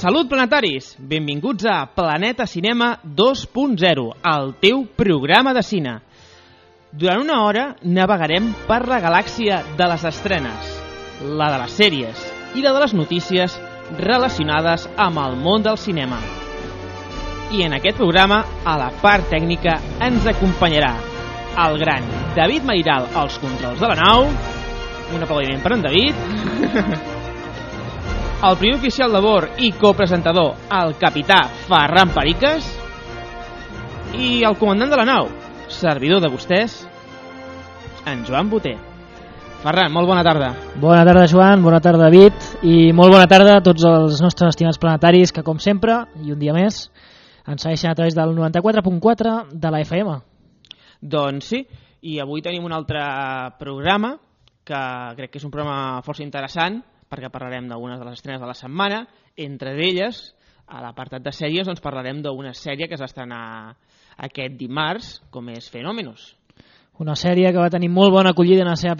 Salut planetaris! Benvinguts a Planeta Cinema 2.0, el teu programa de cine. Durant una hora navegarem per la galàxia de les estrenes, la de les sèries i la de les notícies relacionades amb el món del cinema. I en aquest programa, a la part tècnica, ens acompanyarà el gran David Mairal als controls de la nau. Un aplaudiment per en David. El primer oficial de bord i copresentador, el capità Ferran Periques. I el comandant de la nau, servidor de vostès, en Joan Boter. Ferran, molt bona tarda. Bona tarda, Joan, bona tarda, David, i molt bona tarda a tots els nostres estimats planetaris que, com sempre, i un dia més, ens segueixen a través del 94.4 de la FM. Doncs sí, i avui tenim un altre programa que crec que és un programa força interessant, perquè parlarem d'algunes de les estrenes de la setmana. Entre elles, a l'apartat de sèries, doncs parlarem d'una sèrie que s'estrenarà aquest dimarts, com és Fenómenos. Una sèrie que va tenir molt bona acollida en el seu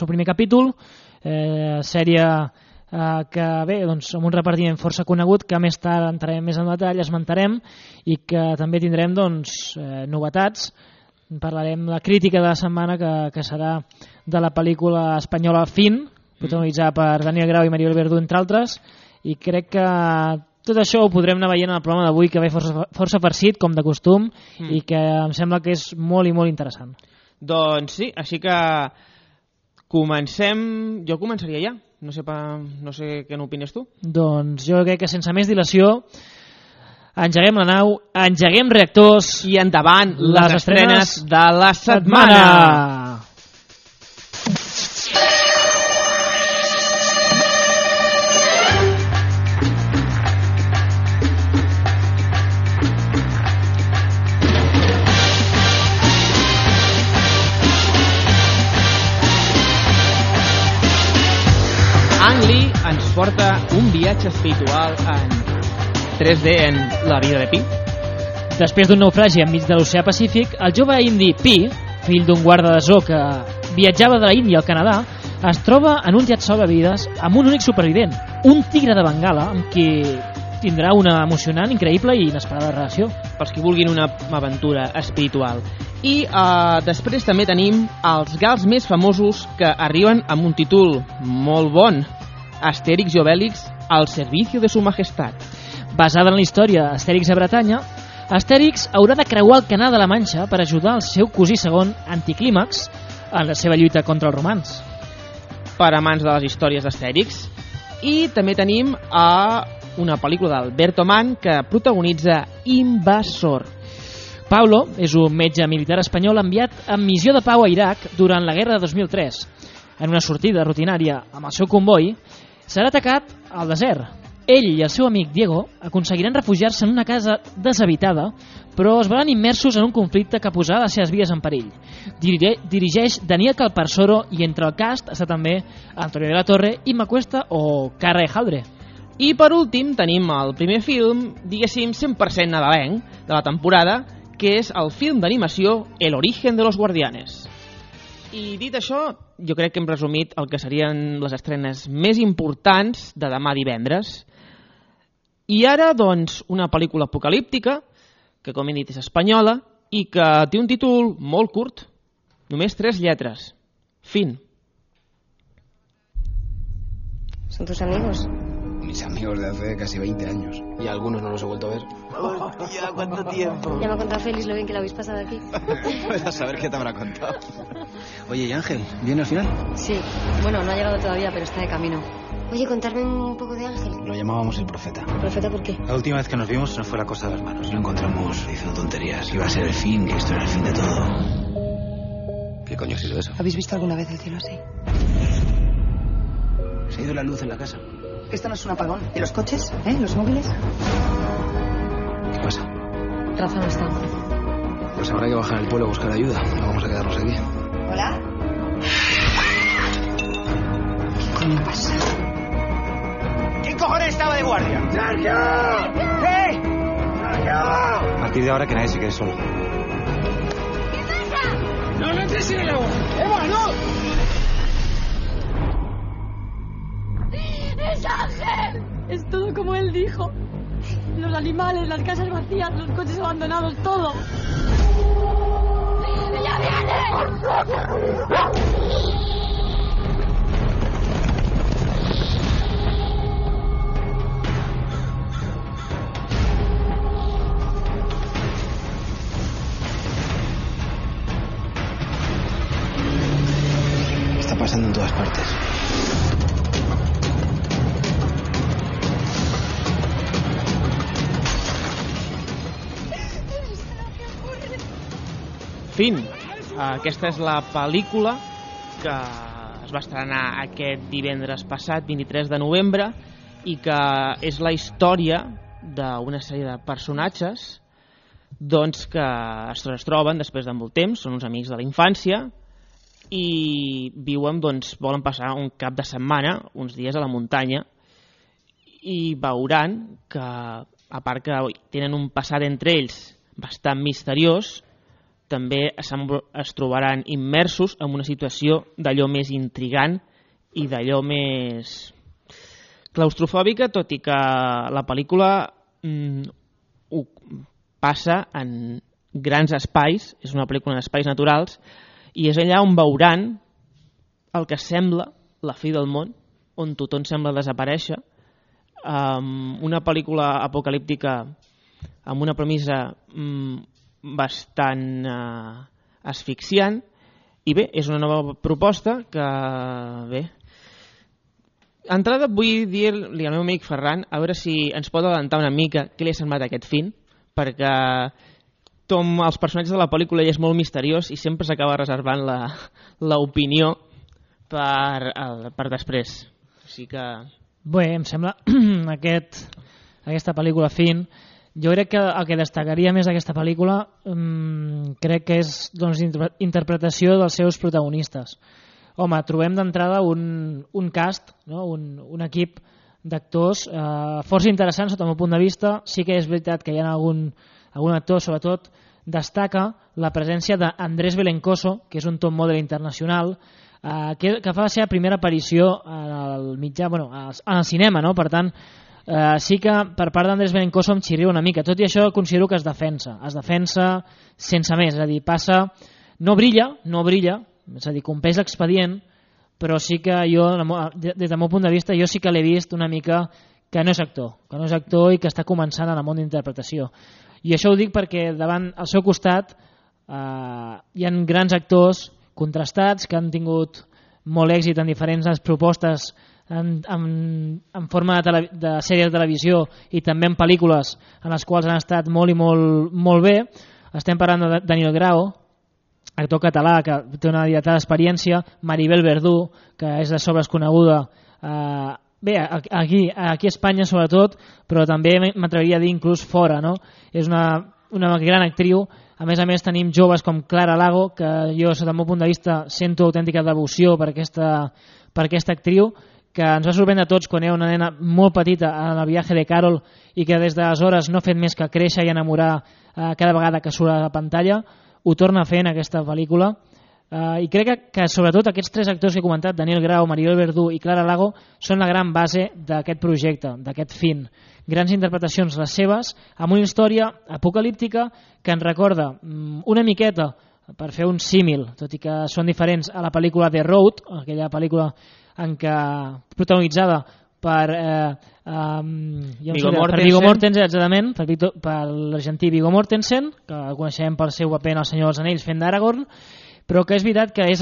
primer capítol, sèrie que, bé, doncs, amb un repartiment força conegut, que més tard entrarem més en detall, esmentarem, i que també tindrem doncs, novetats. Parlarem de la crítica de la setmana, que serà de la pel·lícula espanyola Fin, protagonitzada per Daniel Grau i Maribel Verdú, entre altres, i crec que tot això ho podrem anar veient en el programa d'avui, que ve força farcit, com de costum, i que em sembla que és molt i molt interessant. Doncs sí, així que comencem. Jo començaria ja. No sé què n'opines tu. Doncs jo crec que sense més dilació engeguem la nau, engeguem reactors i endavant les estrenes de la setmana. Ang Lee ens porta un viatge espiritual en 3D en la vida de Pi. Després d'un naufragi enmig de l'oceà Pacífic, el jove indi Pi, fill d'un guarda de zoo que viatjava de la Índia al Canadà, es troba en un llet salvavides amb un únic supervivent, un tigre de Bengala, amb qui tindrà una emocionant, increïble i inesperada relació. Pels qui vulguin una aventura espiritual. I després també tenim els gals més famosos que arriben amb un títol molt bon: Astèrix i Obèlix al servicio de su majestat. Basada en la història d'Astèrix a Bretanya, Astèrix haurà de creuar el Canal de la Manxa per ajudar el seu cosí segon, Anticlímax, en la seva lluita contra els romans. Per amants de les històries d'Astèrix. I també tenim una pel·lícula d'Alberto Mann que protagonitza Invasor. Paulo és un metge militar espanyol enviat en missió de pau a Iraq durant la guerra de 2003. En una sortida rutinària amb el seu comboi, serà atacat al desert. Ell i el seu amic Diego aconseguiran refugiar-se en una casa deshabitada, però es veuran immersos en un conflicte que posarà les seves vides en perill. Dirigeix Daniel Calparsoro i entre el cast està també Antonio de la Torre, Imma Cuesta o Carra Ejaldre. I per últim tenim el primer film, diguéssim 100% nadalenc de la temporada, que és el film d'animació El origen de los guardianes. I dit això, jo crec que hem resumit el que serien les estrenes més importants de demà divendres. I ara, doncs, una pel·lícula apocalíptica, que com he dit és espanyola, i que té un títol molt curt, només 3 lletres. Fin. ¿Son tus amigos? Mis amigos de hace casi 20 años. Y algunos no los he vuelto a ver. ¡Hostia, cuánto tiempo! Ya me ha contado Félix lo bien que lo habéis pasado aquí. Pues a saber qué te habrá contado. Oye, ¿y Ángel? ¿Viene al final? Sí, bueno, no ha llegado todavía, pero está de camino. Oye, contarme un poco de Ángel. Lo llamábamos el profeta. ¿Profeta por qué? La última vez que nos vimos no fue la cosa de las manos. Lo encontramos diciendo tonterías. Iba a ser el fin, que esto era el fin de todo. ¿Qué coño ha sido eso? ¿Habéis visto alguna vez el cielo así? Se ha ido la luz en la casa. Esto no es un apagón. ¿Y los coches? ¿Los móviles? ¿Qué pasa? Rafa no está. Pues habrá que bajar al pueblo a buscar ayuda. No vamos a quedarnos aquí. ¿Hola? ¿Qué coño pasa? ¿Quién cojones estaba de guardia? ¡Sergio! ¿Qué? ¡Sergio! A partir de ahora que nadie se quede solo. ¿Qué pasa? No entres en el agua. ¡Eva, no! Ángel! Es todo como él dijo. Los animales, las casas vacías, los coches abandonados, todo. ¡Ella viene! Está pasando en todas partes. Fin. Aquesta és la pel·lícula que es va estrenar aquest divendres passat, 23 de novembre, i que és la història d'una sèrie de personatges doncs, que es troben després de molt temps, són uns amics de la infància i viuen, doncs, volen passar un cap de setmana, uns dies a la muntanya, i veuran que, a part que tenen un passat entre ells bastant misteriós, també es trobaran immersos en una situació d'allò més intrigant i d'allò més claustrofòbica, tot i que la pel·lícula passa en grans espais, és una pel·lícula en espais naturals, i és allà on veuran el que sembla la fi del món, on tothom sembla desaparèixer, una pel·lícula apocalíptica amb una premissa bastant asfixiant, i bé, és una nova proposta que, bé, entrada vull dir-li al meu amic Ferran a veure si ens pot adelantar una mica què li ha semblat aquest film, perquè com els personatges de la pel·lícula ell és molt misteriós i sempre s'acaba reservant l'opinió per després. Així que... Bé, em sembla aquesta pel·lícula Fin. Jo crec que el que destacaria més d'aquesta pel·lícula crec que és interpretació dels seus protagonistes. Home, trobem d'entrada un cast, no? un equip d'actors força interessants sota el meu punt de vista. Sí que és veritat que hi ha algun actor, sobretot destaca la presència d'Andrés Belencoso, que és un top model internacional, que fa la seva primera aparició al mitjà, al cinema, no? Per tant, sí que per part d'Andrés Belencoso em xirria una mica. Tot i això considero que es defensa sense més, és a dir, passa, no brilla, és a dir, compleix l'expedient, però sí que jo, des del meu punt de vista, jo sí que l'he vist una mica que no és actor i que està començant en el món d'interpretació. I això ho dic perquè davant al seu costat hi ha grans actors contrastats que han tingut molt èxit en diferents propostes en forma de sèries de televisió i també en pel·lícules en les quals han estat molt i molt bé. Estem parlant de Daniel Grau, actor català que té una dilatada experiència, Maribel Verdú, que és de sobres coneguda bé, aquí a Espanya sobretot, però també m'atreviria a dir inclús fora, no? És una gran actriu. A més tenim joves com Clara Lago, que jo, sota el meu punt de vista, sento autèntica devoció per aquesta actriu, que ens va sorprendre a tots quan era una nena molt petita en el viatge de Carol i que des d'aleshores no ha fet més que créixer i enamorar cada vegada que surt a la pantalla. Ho torna a fer en aquesta pel·lícula. I crec que sobretot aquests tres actors que he comentat, Daniel Grau, Maribel Verdú i Clara Lago, són la gran base d'aquest projecte, d'aquest Fin. Grans interpretacions les seves, amb una història apocalíptica que ens recorda una miqueta, per fer un símil, tot i que són diferents, a la pel·lícula The Road, aquella pel·lícula en què protagonitzada per Viggo Mortensen, exactament, per l'argentí Viggo Mortensen, que el coneixem pel seu paper en El Senyor dels Anells fent d'Aragorn, però que és veritat que és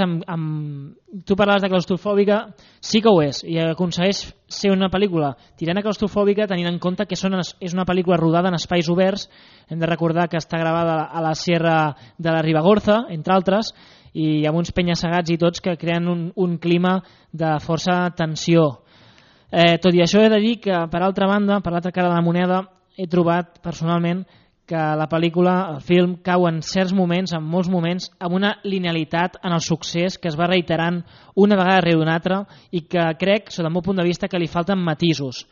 tu parlaves de claustrofòbica, sí que ho és, i aconsegueix ser una pel·lícula tirant a claustrofòbica tenint en compte que és una pel·lícula rodada en espais oberts. Hem de recordar que està gravada a la Sierra de la Ribagorza, entre altres, i amb uns penya-segats i tots que creen un clima de força tensió. Tot i això he de dir que, per altra banda, per l'altra cara de la moneda, he trobat personalment que la pel·lícula, el film, cau en certs moments, en molts moments, amb una linealitat en el succés que es va reiterant una vegada rere una altra i que crec, sota el meu punt de vista, que li falten matisos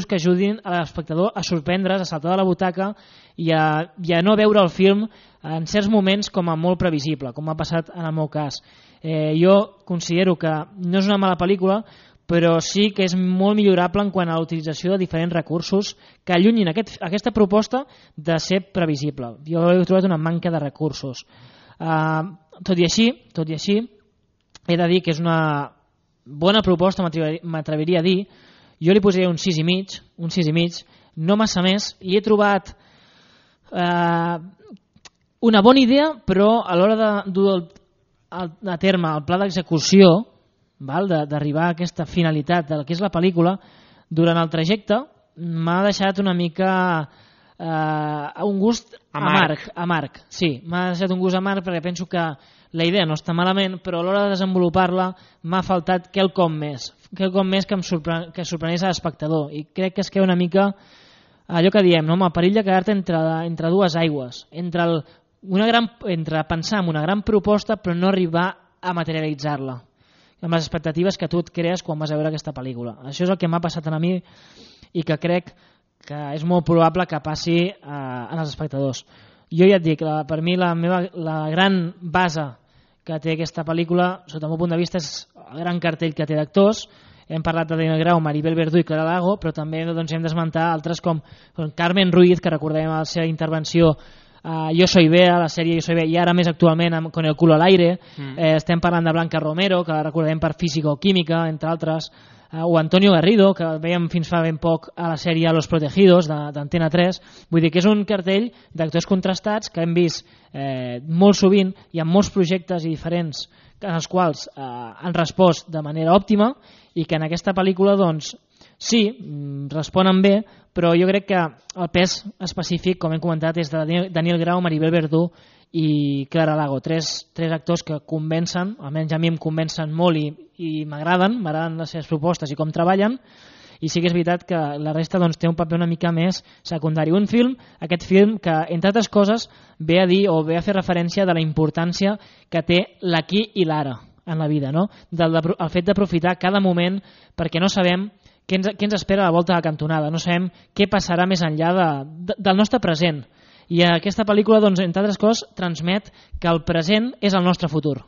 que ajudin a l'espectador a sorprendre's, a saltar de la butaca i a no veure el film en certs moments com a molt previsible, com ha passat en el meu cas. Jo considero que no és una mala pel·lícula, però sí que és molt millorable en quant a la utilització de diferents recursos que allunyin aquesta proposta de ser previsible. Jo he trobat una manca de recursos. Tot i així, he de dir que és una bona proposta, m'atreviria a dir. Jo li posaria un 6,5, no massa més, i he trobat una bona idea, però a l'hora de dur a terme el pla d'execució, d'arribar a aquesta finalitat del que és la pel·lícula, durant el trajecte m'ha deixat una mica un gust amarg. Sí, m'ha deixat un gust amarg perquè penso que la idea no està malament, però a l'hora de desenvolupar-la m'ha faltat quelcom més que sorprenés a l'espectador, i crec que es queda una mica allò que diem, no? El perill de quedar-te entre dues aigües, entre pensar en una gran proposta però no arribar a materialitzar-la amb les expectatives que tu et crees quan vas a veure aquesta pel·lícula. Això és el que m'ha passat a mi i que crec que és molt probable que passi als espectadors. Jo ja et dic, per mi la gran base que té aquesta pel·lícula, sota el meu punt de vista, és el gran cartell que té d'actors. Hem parlat de Daniel Grau, Maribel Verdú i Clara Lago, però també hem d'esmentar altres com Carmen Ruiz, que recordem la seva intervenció Yo soy Bea, la sèrie Yo soy Bea, i ara més actualment Con el culo al aire. Estem parlant de Blanca Romero, que la recordem per Física o Química, entre altres, o Antonio Garrido, que veiem fins fa ben poc a la sèrie Los Protegidos d'Antena 3. Vull dir que és un cartell d'actors contrastats que hem vist molt sovint i en molts projectes i diferents, en els quals han respost de manera òptima, i que en aquesta pel·lícula doncs sí, responen bé, però jo crec que el pes específic, com hem comentat, és de Daniel Grau, Maribel Verdú i Clara Lago, tres actors que convencen, almenys a mi em convencen molt i m'agraden les seves propostes i com treballen, i sí que és veritat que la resta doncs, té un paper una mica més secundari. Aquest film que, entre altres coses, ve a dir o ve a fer referència de la importància que té l'aquí i l'ara en la vida, no? El fet d'aprofitar cada moment, perquè no sabem què ens espera a la volta de la cantonada, no sabem què passarà més enllà del nostre present. I aquesta pel·lícula, doncs, entre altres coses, transmet que el present és el nostre futur.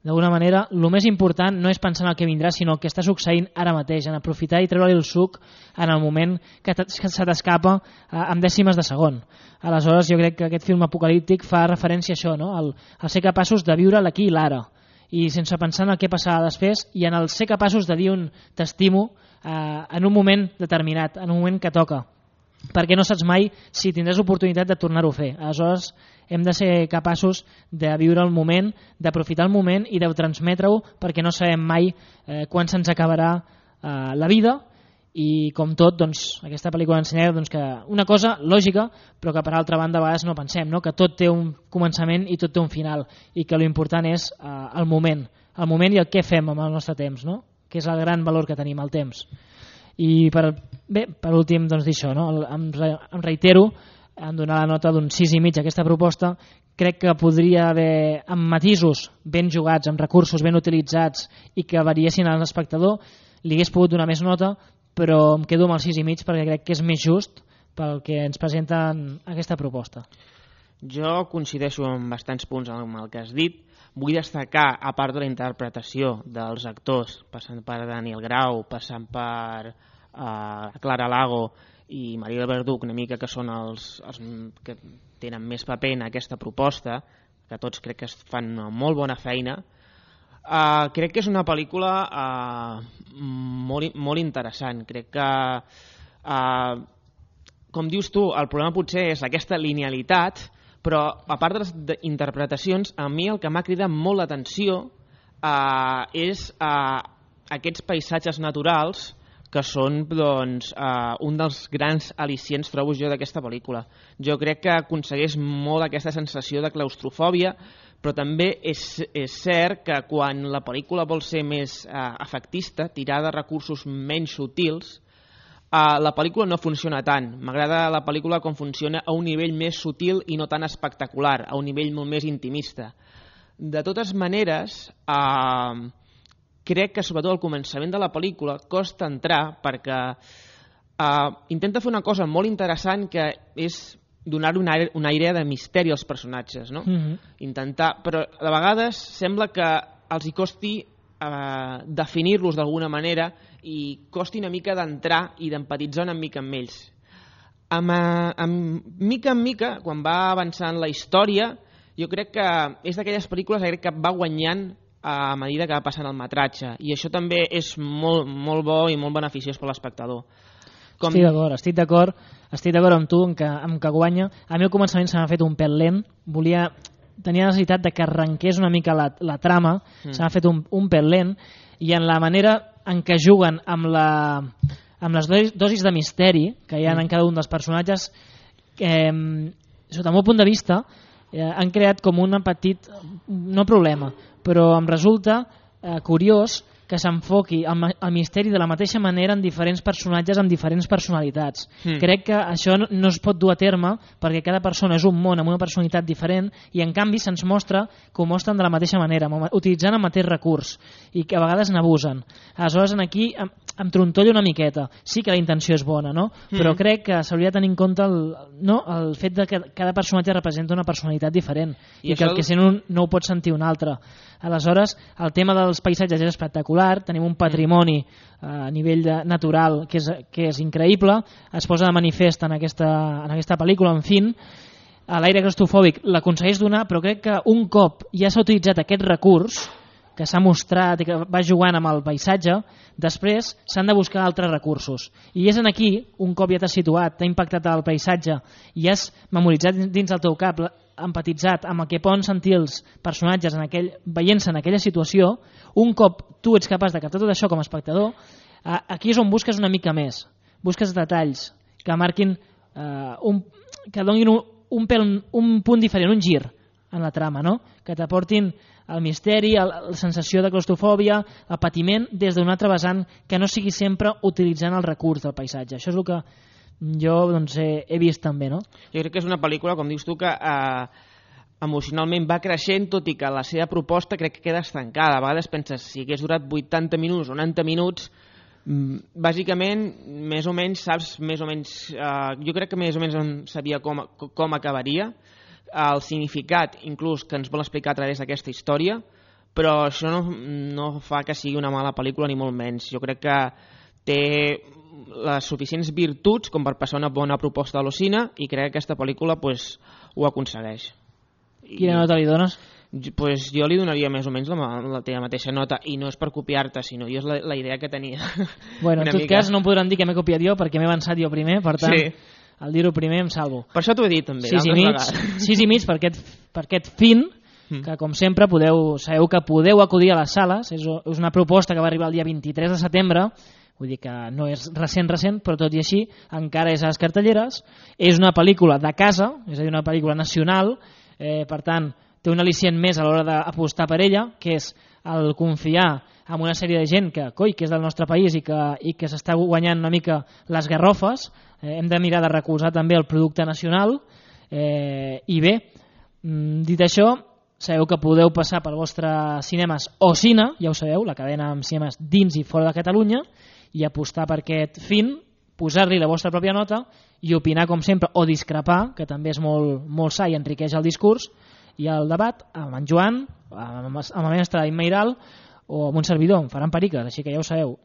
D'alguna manera, el més important no és pensar en el que vindrà, sinó el que està succeint ara mateix, en aprofitar i treure-li el suc en el moment que se t'escapa en dècimes de segon. Aleshores, jo crec que aquest film apocalíptic fa referència a això, no? a ser capaços de viure l'aquí i l'ara, i sense pensar en el que passarà després, i en el ser capaços de dir un t'estimo en un moment determinat, en un moment que toca, perquè no saps mai si tindràs oportunitat de tornar-ho a fer. Aleshores hem de ser capaços de viure el moment, d'aprofitar el moment i de transmetre-ho, perquè no sabem mai quan se'ns acabarà la vida. I com tot, doncs, aquesta pel·lícula ensenya doncs, que una cosa lògica, però que per altra banda a vegades no pensem, no? Que tot té un començament i tot té un final, i que l'important és el moment i el què fem amb el nostre temps, no? Que és el gran valor que tenim, el temps. I per últim, doncs, dir això, no? Em reitero en donar la nota d'un 6,5 a aquesta proposta. Crec que podria haver, amb matisos ben jugats, amb recursos ben utilitzats i que variessin a l'espectador, li hagués pogut donar més nota, però em quedo amb el 6,5 perquè crec que és més just pel que ens presenten aquesta proposta. Jo coincideixo en bastants punts amb el que has dit. Vull destacar, a part de la interpretació dels actors, passant per Daniel Grau, passant per Clara Lago i Maribel Verdú, una mica que són els que tenen més paper en aquesta proposta, que tots crec que fan una molt bona feina. Crec que és una pel·lícula molt interessant. Crec que, com dius tu, el problema potser és aquesta linealitat, però a part de les interpretacions, a mi el que m'ha cridat molt l'atenció és aquests paisatges naturals que són doncs, un dels grans al·licients, trobo jo, d'aquesta pel·lícula. Jo crec que aconsegueix molt aquesta sensació de claustrofòbia, però també és cert que quan la pel·lícula vol ser més efectista, tirar de recursos menys sutils, la pel·lícula no funciona tant. M'agrada la pel·lícula com funciona a un nivell més sutil i no tan espectacular, a un nivell molt més intimista. De totes maneres, crec que sobretot al començament de la pel·lícula costa entrar perquè intenta fer una cosa molt interessant, que és donar una aire de misteri als personatges, no? Intentar, però de vegades sembla que els hi costi definir-los d'alguna manera i costi una mica d'entrar i d'empatitzar una mica amb ells. Mica en mica, quan va avançant la història, jo crec que és d'aquelles pel·lícules que va guanyant a mesura que va passant el metratge, i això també és molt, molt bo i molt beneficiós per l'espectador. Estic d'acord amb tu en que guanya. A mi al començament se m'ha fet un pèl lent, tenia necessitat de que arrenqués una mica la trama, se m'ha fet un pèl lent, i en la manera en què juguen amb les dosis de misteri que hi ha en cada un dels personatges, sota el meu punt de vista, han creat com un petit, no problema, però em resulta curiós que s'enfoqui el misteri de la mateixa manera en diferents personatges amb diferents personalitats. Crec que això no es pot dur a terme perquè cada persona és un món amb una personalitat diferent, i en canvi se'ns mostra que ho mostren de la mateixa manera, utilitzant el mateix recurs, i que a vegades n'abusen. Aleshores aquí em trontolla una miqueta. Sí que la intenció és bona, no? Però crec que s'hauria de tenir en compte el fet de que cada personatge representa una personalitat diferent i que el que sent un no ho pot sentir un altre. Aleshores, el tema dels paisatges és espectacular, tenim un patrimoni a nivell natural que és increïble, es posa de manifest en aquesta pel·lícula, en fin, l'aire claustrofòbic l'aconsegueix donar, però crec que un cop ja s'ha utilitzat aquest recurs, que s'ha mostrat i que va jugant amb el paisatge, després s'han de buscar altres recursos. I és aquí, un cop ja t'has situat, t'ha impactat el paisatge i has memoritzat dins del teu cap, empatitzat amb el que poden sentir els personatges veient-se en aquella situació, un cop tu ets capaç de captar tot això com a espectador, aquí és on busques una mica més. Busques detalls que marquin, que donin un punt diferent, un gir en la trama, no? Que t'aportin el misteri, la sensació de claustrofòbia, el patiment des d'un altre vessant, que no sigui sempre utilitzant el recurs del paisatge. Això és el que jo he vist també, no? Jo crec que és una pel·lícula, com dius tu, que emocionalment va creixent, tot i que la seva proposta crec que queda estancada. A vegades penses, si hagués durat 80 minuts o 90 minuts, bàsicament, més o menys, saps, més o menys, jo crec que més o menys sabia com acabaria, el significat inclús que ens vol explicar a través d'aquesta història, però això no fa que sigui una mala pel·lícula ni molt menys. Jo crec que té les suficients virtuts com per passar una bona proposta de l'Ocina, i crec que aquesta pel·lícula ho aconsegueix. Quina nota li dones? Jo li donaria més o menys la teva mateixa nota, i no és per copiar-te, sinó jo és la idea que tenia. Bueno, en tot cas no em podran dir que m'he copiat jo perquè m'he avançat jo primer, per tant, al dir-ho primer em salvo. Per això t'ho he dit també. 6,5 per aquest fin, que com sempre sabeu que podeu acudir a les sales. És una proposta que va arribar el dia 23 de setembre, vull dir que no és recent, però tot i així encara és a les cartelleres. És una pel·lícula de casa, és a dir, una pel·lícula nacional, per tant té un al·licient més a l'hora d'apostar per ella, que és el confiar en una sèrie de gent que és del nostre país i que s'està guanyant una mica les garrofes. Hem de mirar de recolzar també el producte nacional, i bé, dit això, sabeu que podeu passar pel vostre cinemes Ocina, ja ho sabeu, la cadena amb cinemes dins i fora de Catalunya, i apostar per aquest fin, posar-li la vostra pròpia nota i opinar com sempre, o discrepar, que també és molt sa i enriqueix el discurs i el debat, amb en Joan, amb el mestre Immeiral o amb un servidor, em faran periques, així que ja ho sabeu,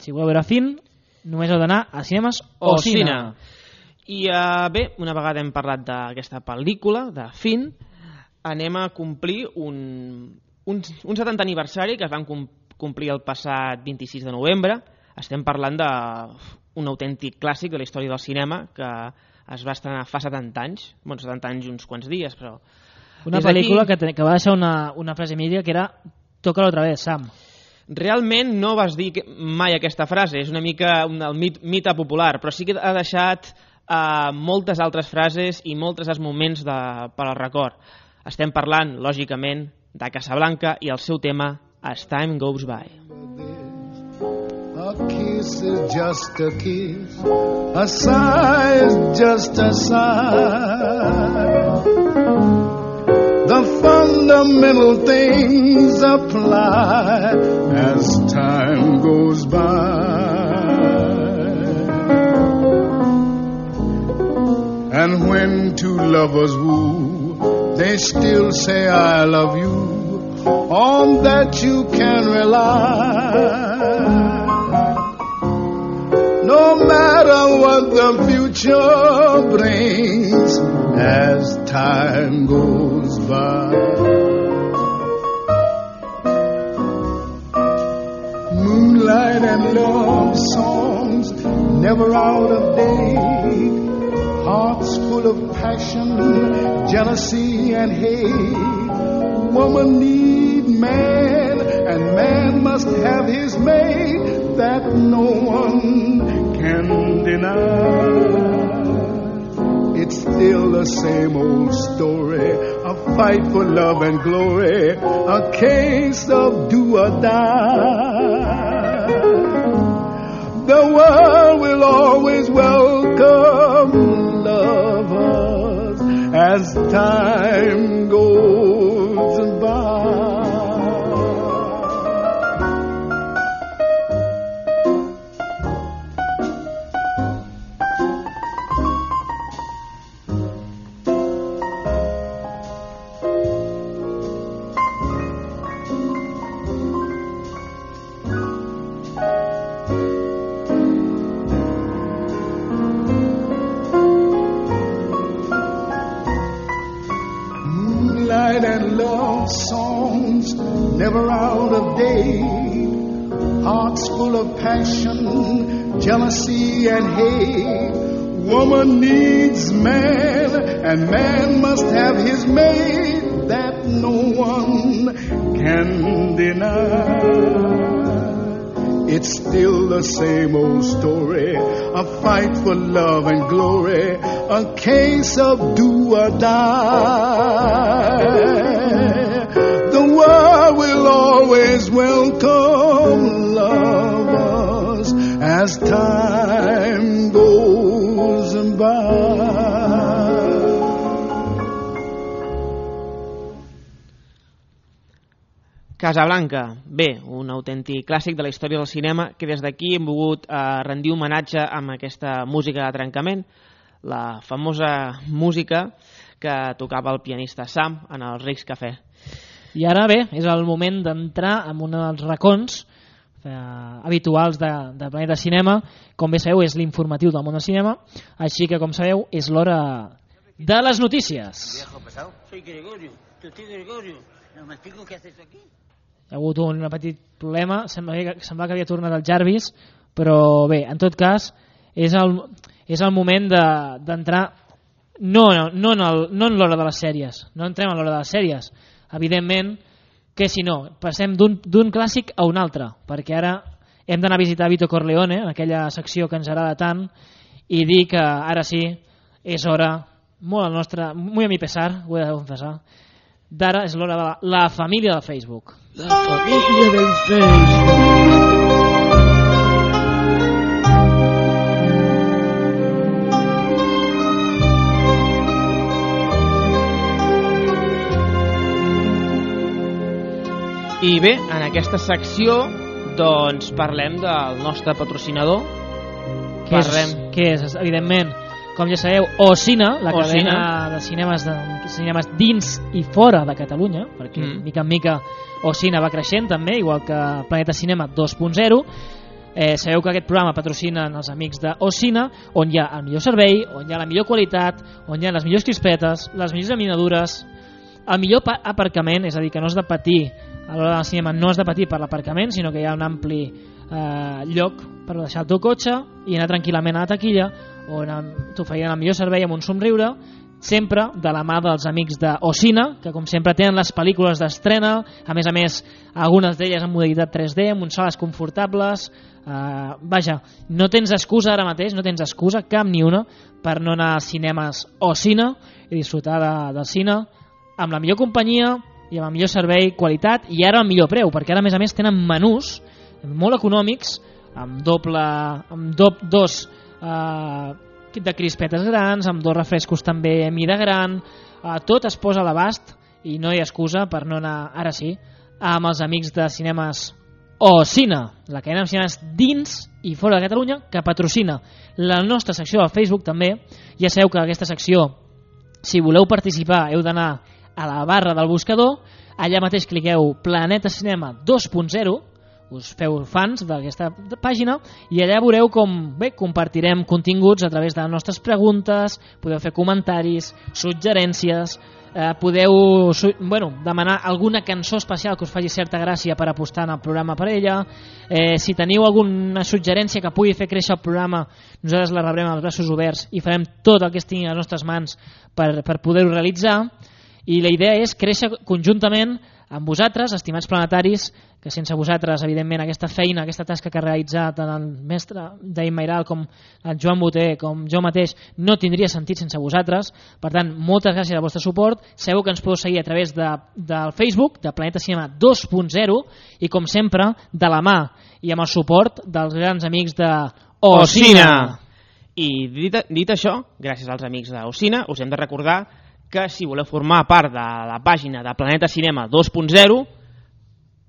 si voleu veure fin, només heu d'anar a cinemes Ocina. I bé, una vegada hem parlat d'aquesta pel·lícula, de Fin, anem a complir un 70 aniversari que es van complir el passat 26 de novembre. Estem parlant d'un autèntic clàssic de la història del cinema que es va estrenar fa 70 anys, 70 anys i uns quants dies, però... Una pel·lícula que va deixar una frase mítica que era «Tócalo otra vez, Sam». Realment no vas dir mai aquesta frase, és una mica el mite popular, però sí que ha deixat moltes altres frases i molts moments per al record. Estem parlant, lògicament, de Casablanca i el seu tema As Time Goes By. A kiss is just a kiss, a sigh is just a sigh. The fundamental things apply as time goes by. And when two lovers woo, they still say I love you, on that you can rely. No matter what the future brings as time goes by. Moonlight and love songs never out of date. Hearts full of passion, jealousy and hate. Woman need man, and man must have his mate. That no one can deny. It's still the same old story, a fight for love and glory, a case of do or die. The world will always welcome lovers as time goes by. And love songs never out of date. Hearts full of passion, jealousy and hate. Woman needs man, and man must have his mate. That no one can deny. It's still the same old story, a fight for love and glory, a case of do or die. The world will always welcome lovers as time goes by. Casablanca, bé, un autèntic clàssic de la història del cinema que des d'aquí hem volgut rendir homenatge amb aquesta música de trencament, la famosa música que tocava el pianista Sam en els Rics Cafè. I ara bé, és el moment d'entrar en un dels racons habituals de Planeta Cinema. Com bé sabeu, és l'informatiu del món del cinema, així que, com sabeu, és l'hora de les notícies. Soy Gregorio, tu tío Gregorio. No me explico qué haces aquí. Hi ha hagut un petit problema, sembla que havia tornat el Jarvis, però bé, en tot cas, és el moment d'entrar no en l'hora de les sèries, no entrem en l'hora de les sèries, evidentment que si no, passem d'un clàssic a un altre, perquè ara hem d'anar a visitar Vito Corleone, en aquella secció que ens agrada tant, i dir que ara sí, és hora, molt a mi pesar, ho he de confessar, d'ara és l'hora de la família del Facebook. La família del Facebook. I bé, en aquesta secció doncs parlem del nostre patrocinador. Què és? Evidentment, com ja sabeu, Ocina, la cadena de cinemes dins i fora de Catalunya, perquè mica en mica Ocina va creixent també, igual que Planeta Cinema 2.0. Sabeu que aquest programa patrocinen els amics d'Ocina, on hi ha el millor servei, on hi ha la millor qualitat, on hi ha les millors crispetes, les millors laminadures, el millor aparcament, és a dir, que no has de patir a l'hora del cinema, no has de patir per l'aparcament, sinó que hi ha un ampli lloc per deixar el teu cotxe i anar tranquil·lament a la taquilla, on t'oferien el millor servei amb un somriure, sempre de la mà dels amics d'Ocina, que com sempre tenen les pel·lícules d'estrena, a més, algunes d'elles en modalitat 3D, amb uns sales confortables. Vaja, no tens excusa ara mateix, no tens excusa, cap ni una, per no anar als cinemes Ocina i disfrutar del cine amb la millor companyia i amb el millor servei, qualitat i ara el millor preu, perquè ara a més tenen menús molt econòmics amb dos de crispetes grans, amb 2 refrescos també a mida gran, tot es posa a l'abast i no hi ha excusa per no anar, ara sí, amb els amics de cinemes Ocina, la cadena de cinemes dins i fora de Catalunya, que patrocina la nostra secció al Facebook també. Ja sabeu que aquesta secció, si voleu participar, heu d'anar a la barra del buscador, allà mateix cliqueu Planeta Cinema 2.0, us feu fans d'aquesta pàgina i allà veureu com compartirem continguts a través de les nostres preguntes, podeu fer comentaris, suggerències, podeu demanar alguna cançó especial que us faci certa gràcia per apostar en el programa per ella. Si teniu alguna suggerència que pugui fer créixer el programa, nosaltres la rebrem als braços oberts i farem tot el que estigui a les nostres mans per poder-ho realitzar. I la idea és créixer conjuntament amb vosaltres, estimats planetaris, que sense vosaltres, evidentment, aquesta feina, aquesta tasca que ha realitzat tant el mestre Daim Mairal com el Joan Boter, com jo mateix, no tindria sentit sense vosaltres. Per tant, moltes gràcies al vostre suport. Sabeu que ens podeu seguir a través del Facebook, de Planeta Cinema 2.0, i com sempre, de la mà i amb el suport dels grans amics de Ocina. I dit això, gràcies als amics d'Ocina, us hem de recordar que si voleu formar part de la pàgina de Planeta Cinema 2.0,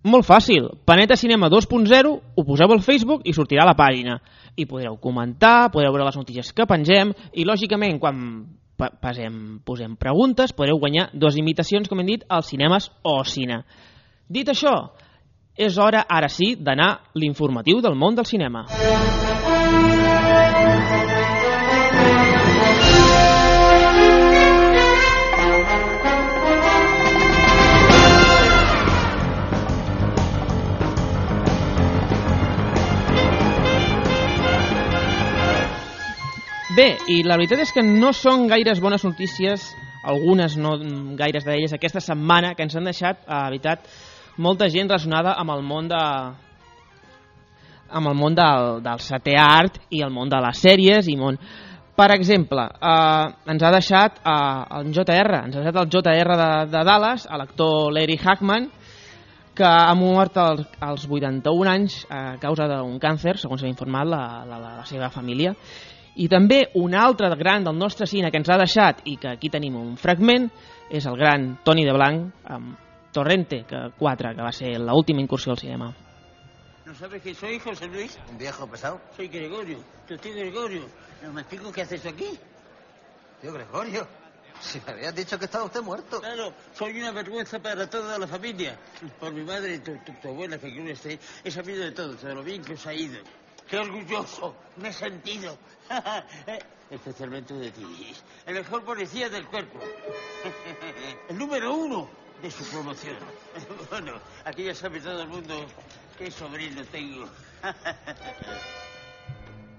molt fàcil, Planeta Cinema 2.0, ho poseu al Facebook i sortirà a la pàgina. I podreu comentar, podreu veure les notícies que pengem i, lògicament, quan posem preguntes, podreu guanyar 2 invitacions, com hem dit, als cinemes Ocina. Dit això, és hora, ara sí, d'anar l'informatiu del món del cinema. Bé, i la veritat és que no són gaires bones notícies, algunes no gaires d'elles, aquesta setmana que ens han deixat, la veritat, molta gent relacionada amb el món del setè art i el món de les sèries i món. Per exemple, ens ha deixat el JR de Dallas, l'actor Larry Hagman, que ha mort als 81 anys a causa d'un càncer, segons s'ha informat la seva família. I també un altre gran del nostre cine que ens ha deixat i que aquí tenim un fragment és el gran Tony DeBlanc amb Torrente 4, que va ser l'última incursió al cinema. ¿No sabes quién soy, José Luis? ¿Un viejo pesado? Soy Gregorio, tu tío Gregorio. ¿No me explico qué haces aquí? Tío Gregorio, si me habías dicho que estaba usted muerto. Claro, soy una vergüenza para toda la familia. Por mi madre y tu abuela, que creo que he sabido de todo lo bien que os ha ido. ¡Qué orgulloso me he sentido! Especialmente de ti. El mejor policía del cuerpo. El número 1 de su promoción. Bueno, aquí ya sabe todo el mundo qué sobrino tengo.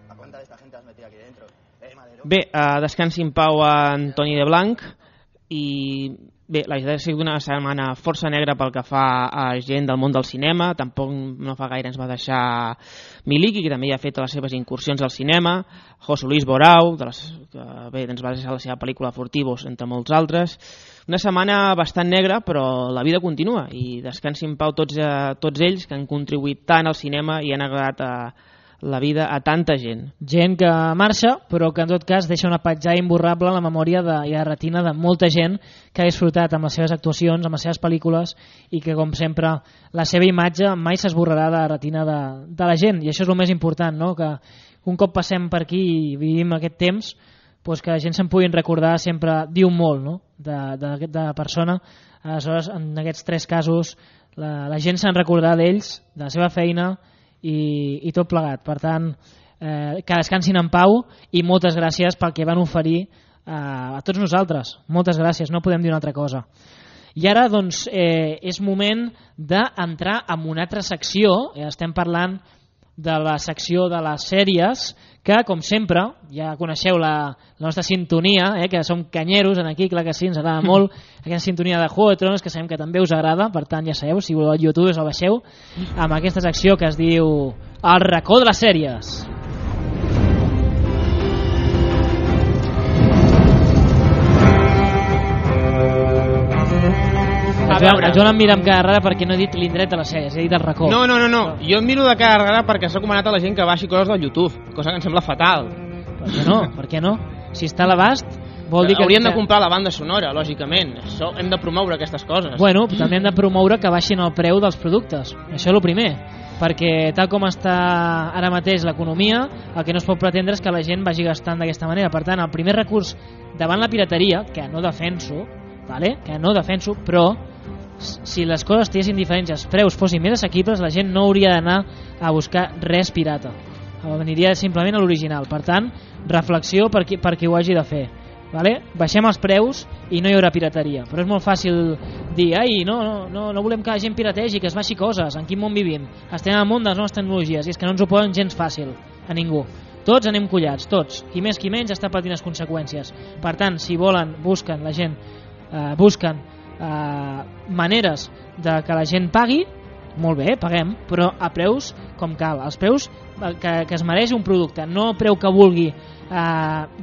¿A cuánta de esta gente has metido aquí dentro? Bé, descansi en pau a Toni DeBlanc i bé, la veritat ha sigut una setmana força negra pel que fa a gent del món del cinema. Tampoc no fa gaire ens va deixar Miliki, que també ja ha fet les seves incursions al cinema, José Luis Borau, que bé, ens va deixar la seva pel·lícula Furtivos, entre molts altres. Una setmana bastant negra, però la vida continua i descansi en pau tots ells que han contribuït tant al cinema i han agradat la vida a tanta gent. Gent que marxa, però que en tot cas deixa una petjada imborrable en la memòria i a la retina de molta gent que ha disfrutat amb les seves actuacions, amb les seves pel·lícules i que, com sempre, la seva imatge mai s'esborrarà de la retina de la gent. I això és el més important, no? Que un cop passem per aquí i vivim aquest temps, doncs que la gent se'n puguin recordar sempre diu molt, no? de persona. Aleshores, en aquests 3 casos, la gent se'n recordarà d'ells, de la seva feina i tot plegat. Per tant, que descansin en pau i moltes gràcies pel que van oferir a tots nosaltres. Moltes gràcies, no podem dir una altra cosa. I ara doncs, és moment d'entrar en una altra secció. Estem parlant de la secció de les sèries, que com sempre ja coneixeu la nostra sintonia, que som canyeros en aquí, clar que sí, ens agrada molt aquesta sintonia de Juego de Tronos, que sabem que també us agrada. Per tant, ja sabeu, si voleu al YouTube us el baixeu, amb aquesta secció que es diu El racó de les sèries. El Joan em mira amb cara rara perquè no he dit l'indret de les sèries, he dit el racó. No, jo em miro de cara rara perquè s'ha recomanat a la gent que baixi coses del YouTube, cosa que em sembla fatal. Per què no? Si està a l'abast, vol dir que... Hauríem de comprar la banda sonora, lògicament. Això, hem de promoure aquestes coses. Bueno, també hem de promoure que baixin el preu dels productes. Això és el primer, perquè tal com està ara mateix l'economia, el que no es pot pretendre és que la gent vagi gastant d'aquesta manera. Per tant, el primer recurs davant la pirateria, que no defenso, però si les coses estiguessin diferents, els preus fossin més assequibles, la gent no hauria d'anar a buscar res pirata, aniria simplement a l'original. Per tant, reflexió per qui ho hagi de fer, vale? Baixem els preus i no hi haurà pirateria, però és molt fàcil dir no volem que la gent pirategi, que es baixi coses. En quin món vivim? Estem en el món de les noves tecnologies i és que no ens ho poden gens fàcil a ningú. Tots anem collats, tots, qui més qui menys està patint les conseqüències. Per tant, si volen, busquen maneres de que la gent pagui, molt bé, paguem, però a preus com cal, els preus que es mereix un producte, no el preu que vulgui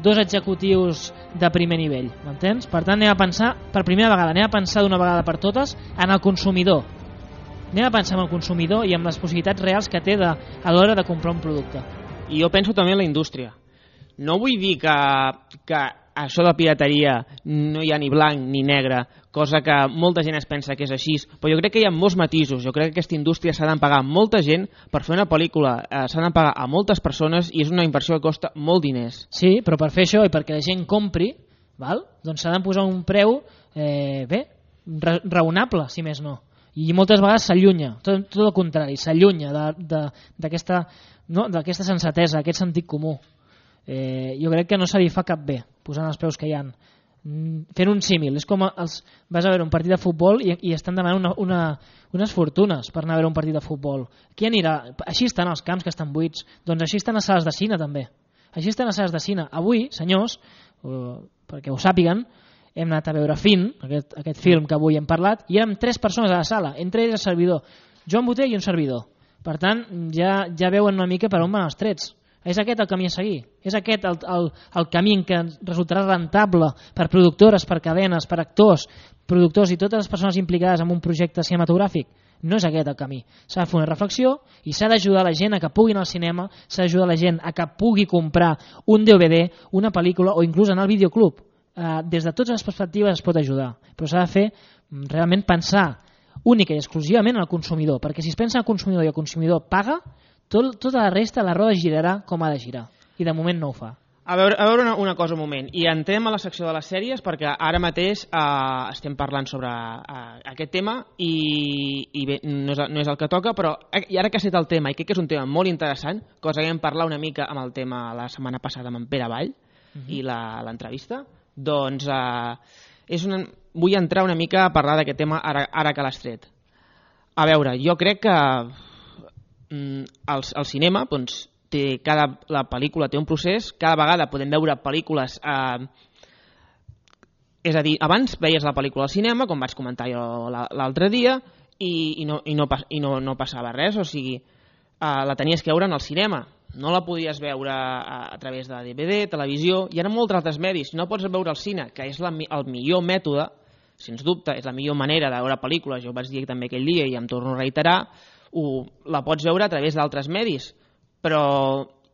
dos executius de primer nivell, m'entens? Per tant, anem a pensar, per primera vegada, anem a pensar d'una vegada per totes en el consumidor. Anem a pensar en el consumidor i en les possibilitats reals que té a l'hora de comprar un producte. I jo penso també en la indústria. No vull dir que això de pirateria no hi ha ni blanc ni negre, cosa que molta gent es pensa que és així, però jo crec que hi ha molts matisos. Jo crec que aquesta indústria s'ha de pagar molta gent per fer una pel·lícula, s'ha de pagar a moltes persones i és una inversió que costa molt diners. Sí, però per fer això i perquè la gent compri, doncs s'ha de posar un preu raonable, si més no. I moltes vegades s'allunya, tot el contrari, s'allunya d'aquesta sensatesa, aquest sentit comú. Jo crec que no se li fa cap bé posant els preus que hi ha. Fent un símil, és com vas a veure un partit de futbol i estan demanant unes fortunes per anar a veure un partit de futbol. Qui anirà? Així estan els camps que estan buits, doncs així estan les sales de cine també. Així estan les sales de cine. Avui, senyors, perquè ho sàpiguen, hem anat a veure Fin, aquest film que avui hem parlat, i érem 3 persones a la sala, entre ells el servidor, Joan Botell i un servidor. Per tant, ja veuen una mica per on van els trets. És aquest el camí a seguir, és aquest el camí que resultarà rentable per productores, per cadenes, per actors, productors i totes les persones implicades en un projecte cinematogràfic. No és aquest el camí. S'ha de fer una reflexió i s'ha d'ajudar la gent a que pugui anar al cinema, s'ha d'ajudar la gent a que pugui comprar un DVD, una pel·lícula o inclús anar al videoclub. Des de totes les perspectives es pot ajudar, però s'ha de fer realment pensar única i exclusivament en el consumidor, perquè si es pensa en el consumidor i el consumidor paga, tota la resta la roda girarà com ha de girar, i de moment no ho fa. A veure una cosa un moment, i entrem a la secció de les sèries perquè ara mateix estem parlant sobre aquest tema i bé, no és el que toca, però i ara que ha set el tema, i crec que és un tema molt interessant, cosa que vam parlar una mica amb el tema la setmana passada amb en Pere Vall i l'entrevista, doncs vull entrar una mica a parlar d'aquest tema ara que l'has tret. A veure, jo crec que el cinema, doncs, la pel·lícula té un procés, cada vegada podem veure pel·lícules, és a dir, abans veies la pel·lícula al cinema, com vaig comentar jo l'altre dia, i no passava res, o sigui, la tenies que veure en el cinema, no la podies veure a través de DVD, televisió, hi ha molts altres medis, no pots veure al cine, que és el millor mètode, sens dubte, és la millor manera de veure pel·lícules, jo ho vaig dir també aquell dia i em torno a reiterar, la pots veure a través d'altres medis,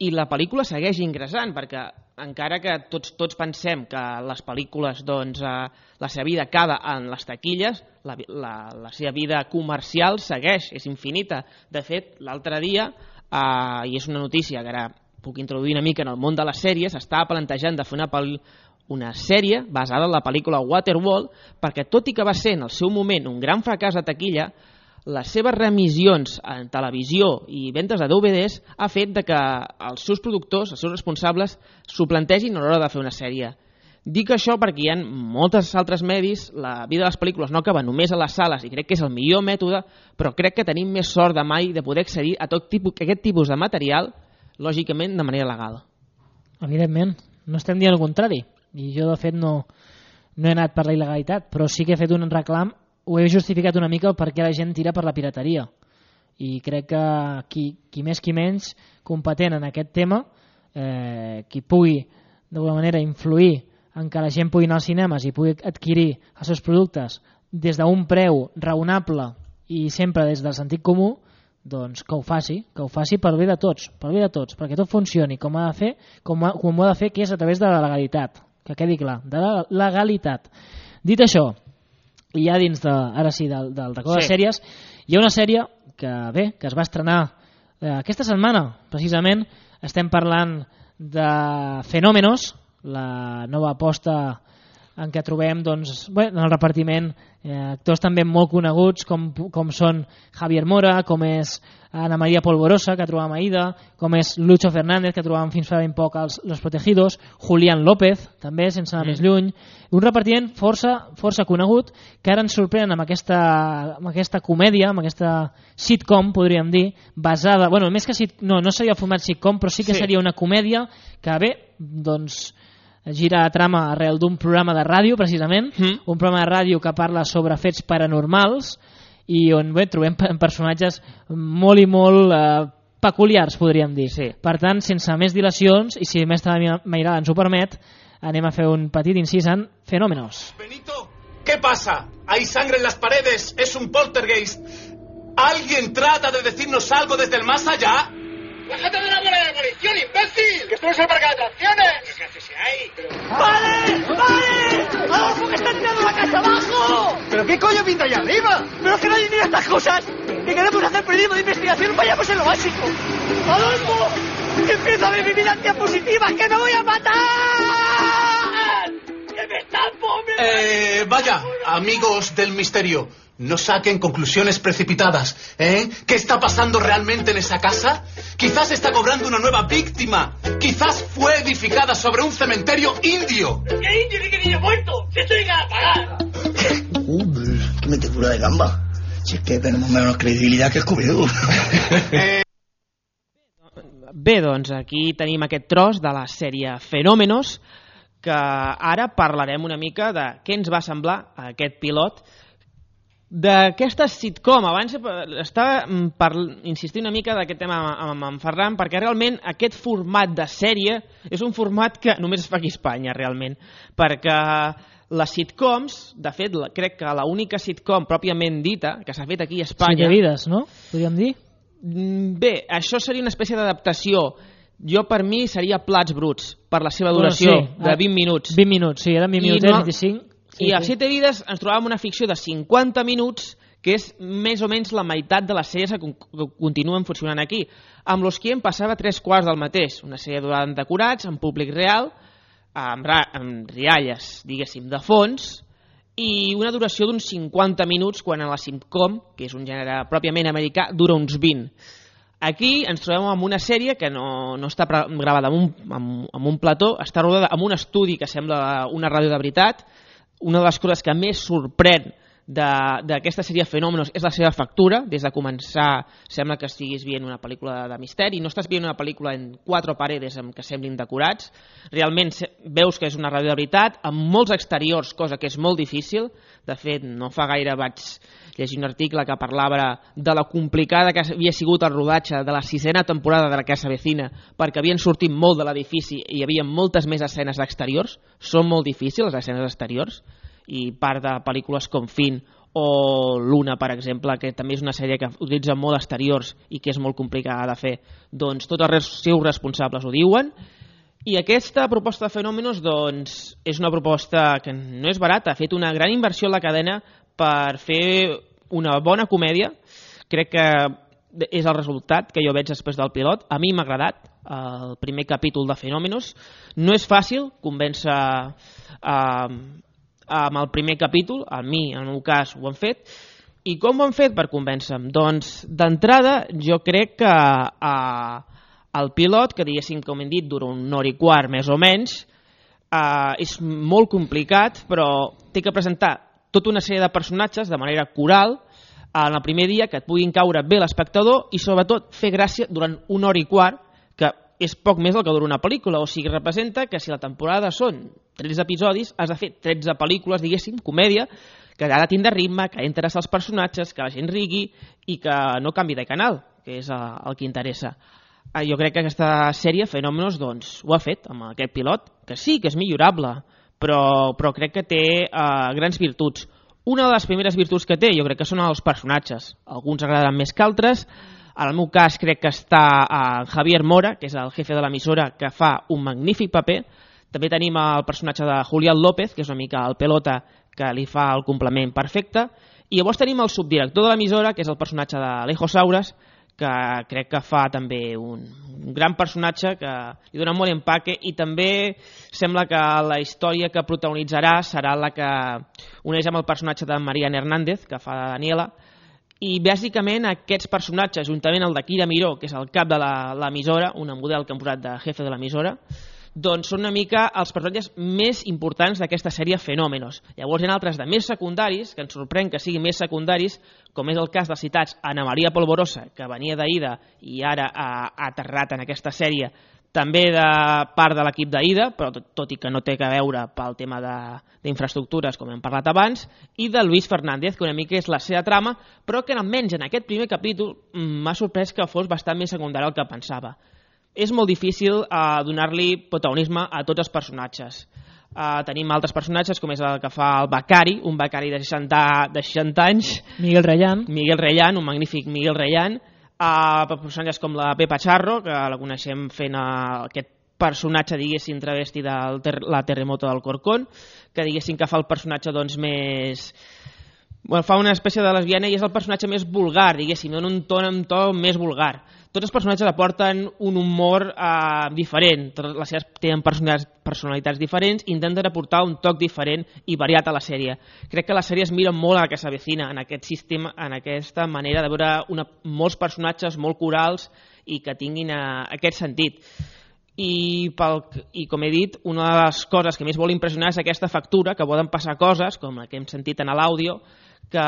i la pel·lícula segueix ingressant, perquè encara que tots pensem que les pel·lícules, doncs, la seva vida acaba en les taquilles, la seva vida comercial segueix, és infinita. De fet, l'altre dia, i és una notícia que ara puc introduir una mica en el món de les sèries, estava plantejant de fer una sèrie basada en la pel·lícula Waterworld, perquè tot i que va ser en el seu moment un gran fracàs de taquilla, les seves remissions en televisió i ventes de DVDs ha fet que els seus productors, els seus responsables, s'ho plantegin a l'hora de fer una sèrie. Dic això perquè hi ha molts altres medis, la vida de les pel·lícules no acaba només a les sales i crec que és el millor mètode, però crec que tenim més sort de mai de poder accedir a aquest tipus de material, lògicament de manera legal. Evidentment, no estem dient el contrari, i jo de fet no he anat per la il·legalitat, però sí que he fet un reclam, ho he justificat una mica per què la gent tira per la pirateria, i crec que qui més qui menys competent en aquest tema, qui pugui d'alguna manera influir en que la gent pugui anar als cinemes i pugui adquirir els seus productes des d'un preu raonable i sempre des del sentit comú, doncs que ho faci per bé de tots, perquè tot funcioni com ha de fer, com ho ha de fer, que és a través de la legalitat, que quedi clar, de la legalitat. Dit això, i ja dins ara sí del record de sèries, hi ha una sèrie que es va estrenar aquesta setmana, precisament estem parlant de Fenómenos, la nova aposta en què trobem doncs, en el repartiment actors també molt coneguts com són Javier Mora, com és Ana María Polvorosa, que trobàvem a Aida, com és Lucho Fernández, que trobàvem fins fa ben poc als Los Protegidos, Julián López, també, sense anar més lluny. Un repartiment força conegut, que ara ens sorprenen amb aquesta comèdia, amb aquesta sitcom, podríem dir, basada... Bueno, més que no seria el format sitcom, però sí que seria una comèdia que, bé, doncs... gira a trama arrel d'un programa de ràdio, precisament, un programa de ràdio que parla sobre fets paranormals i on trobem personatges molt i molt peculiars, podríem dir. Sí. Per tant, sense més dilacions, i si Mestre Mairada ens ho permet, anem a fer un petit incís en Fenómenos. Benito, ¿qué pasa? Hay sangre en las paredes, es un poltergeist. ¿Alguien trata de decirnos algo desde el más allá? ¡Bájate de la bola de demolición, imbécil! ¡Que esto no es el parque de atracciones! ¿Qué haces ahí? ¡Vale! ¡Vale! ¡Adolfo, que está tirando la casa abajo! ¿Pero qué coño pinta allá arriba? ¡Pero es que nadie mira estas cosas! ¡Que queremos hacer periodismo de investigación! ¡Vayamos en lo básico! ¡Adolfo! ¡Que empiezo a ver mi vida en diapositivas! ¡Que me voy a matar! ¡Que me están poniendo! Vaya, amigos del misterio. No saquen conclusiones precipitadas, ¿eh? ¿Qué está pasando realmente en esa casa? Quizás está cobrando una nueva víctima. Quizás fue edificada sobre un cementerio indio. ¿Qué indio ni qué niño muerto? ¡Si estoy a pagar! ¡Qué metedura de gamba! Si es que tenemos menos credibilitat que Scooby-Doo. Bé, doncs aquí tenim aquest tros de la sèrie Fenómenos, que ara parlarem una mica de què ens va semblar aquest pilot d'aquesta sitcom. Abans estava per insistir una mica d'aquest tema amb en Ferran, perquè realment aquest format de sèrie és un format que només es fa aquí a Espanya, realment, perquè les sitcoms, de fet, crec que l'única sitcom pròpiament dita que s'ha fet aquí a Espanya... Siete vides, no? Podríem dir? Bé, això seria una espècie d'adaptació. Jo, per mi, seria Plats Bruts, per la seva duració, de 20 minuts. 20 minuts, sí, eren 20 minuts, 25... I a 7 vides ens trobàvem una ficció de 50 minuts, que és més o menys la meitat de les sèries que continuen funcionant aquí. Amb Los Quién passava 3/4 del mateix, una sèrie durant decorats, en públic real, amb rialles, diguéssim, de fons, i una duració d'uns 50 minuts, quan a la sitcom, que és un gènere pròpiament americà, dura uns 20. Aquí ens trobem amb una sèrie que no està gravada amb un plató, està rodada amb un estudi que sembla una ràdio de veritat. Una de les coses que més sorprèn d'aquesta sèrie Fenómenos és la seva factura. Des de començar sembla que estiguis veient una pel·lícula de misteri, no estàs veient una pel·lícula en 4 paredes que semblin decorats. Realment veus que és una ràdio de veritat, amb molts exteriors, cosa que és molt difícil. De fet, no fa gaire vaig llegir un article que parlava de la complicada que havia sigut el rodatge de la 6ª temporada de La Casa Vecina, perquè havien sortit molt de l'edifici i hi havia moltes més escenes d'exteriors. Són molt difícils les escenes exteriors, i part de pel·lícules com Fin o Luna, per exemple, que també és una sèrie que utilitza molt exteriors i que és molt complicada de fer, doncs tots els seus responsables ho diuen. I aquesta proposta de Fenómenos doncs, és una proposta que no és barata, ha fet una gran inversió en la cadena per fer una bona comèdia. Crec que és el resultat que jo veig després del pilot. A mi m'ha agradat el primer capítol de Fenómenos. No és fàcil convèncer amb el primer capítol, a mi, en el meu cas, ho han fet. I com ho han fet per convèncer-me? Doncs, d'entrada, jo crec que el pilot, que diguéssim, com hem dit, dura 1 hora i quart, més o menys, és molt complicat, però té que presentar tota una sèrie de personatges de manera coral en el primer dia, que et puguin caure bé l'espectador i, sobretot, fer gràcia durant 1 hora i quart, que és poc més del que dura una pel·lícula. O sigui, representa que si la temporada són 13 episodis, has de fer 13 pel·lícules, diguéssim, comèdia, que ha de tindre ritme, que ha d'interessar els personatges, que la gent rigui i que no canvi de canal, que és el que interessa. Jo crec que aquesta sèrie, Fenómenos, doncs, ho ha fet amb aquest pilot, que sí, que és millorable, però crec que té grans virtuts. Una de les primeres virtuts que té, jo crec que són els personatges. Alguns agraden més que altres. En el meu cas crec que està Javier Mora, que és el jefe de l'emissora, que fa un magnífic paper. També tenim el personatge de Julián López, que és una mica el pelota, que li fa el complement perfecte. I llavors tenim el subdirector de l'emissora, que és el personatge d'Alejo Sauras, que crec que fa també un gran personatge que li dona molt empaque, i també sembla que la història que protagonitzarà serà la que uneix amb el personatge de Mariana Hernández, que fa de Daniela, i bàsicament aquests personatges, juntament el de Kira Miró, que és el cap de l'emissora, una model que han posat de jefe de l'emissora, doncs són una mica els personatges més importants d'aquesta sèrie Fenómenos. Llavors hi ha altres de més secundaris, que ens sorprèn que siguin més secundaris, com és el cas dels citats Ana Maria Polvorosa, que venia d'Aida i ara ha aterrat en aquesta sèrie, també de part de l'equip d'Aida, però tot i que no té a veure pel tema d'infraestructures, com hem parlat abans, i de Luis Fernández, que una mica és la seva trama, però que almenys en aquest primer capítol m'ha sorprès que fos bastant més secundari del que pensava. És molt difícil donar-li protagonisme a tots els personatges. Tenim altres personatges, com és el que fa el becari, un becari de 60 anys. Miguel Reyán, un magnífic Miguel Reyán. Personatges com la Pepa Charro, que la coneixem fent aquest personatge, diguéssim, travesti de la Terremoto del Corcón, que diguéssim que fa el personatge doncs més... Bueno, fa una espècie de lesbiana i és el personatge més vulgar, diguéssim, dona un to més vulgar. Tots els personatges aporten un humor diferent, totes les seves tenen personalitats diferents i intenten aportar un toc diferent i variat a la sèrie. Crec que la sèrie es mira molt a la que s'avecina, en aquest sistema, en aquesta manera de veure molts personatges molt corals i que tinguin aquest sentit. I com he dit, una de les coses que més vol impressionar és aquesta factura, que poden passar coses, com la que hem sentit en l'àudio, que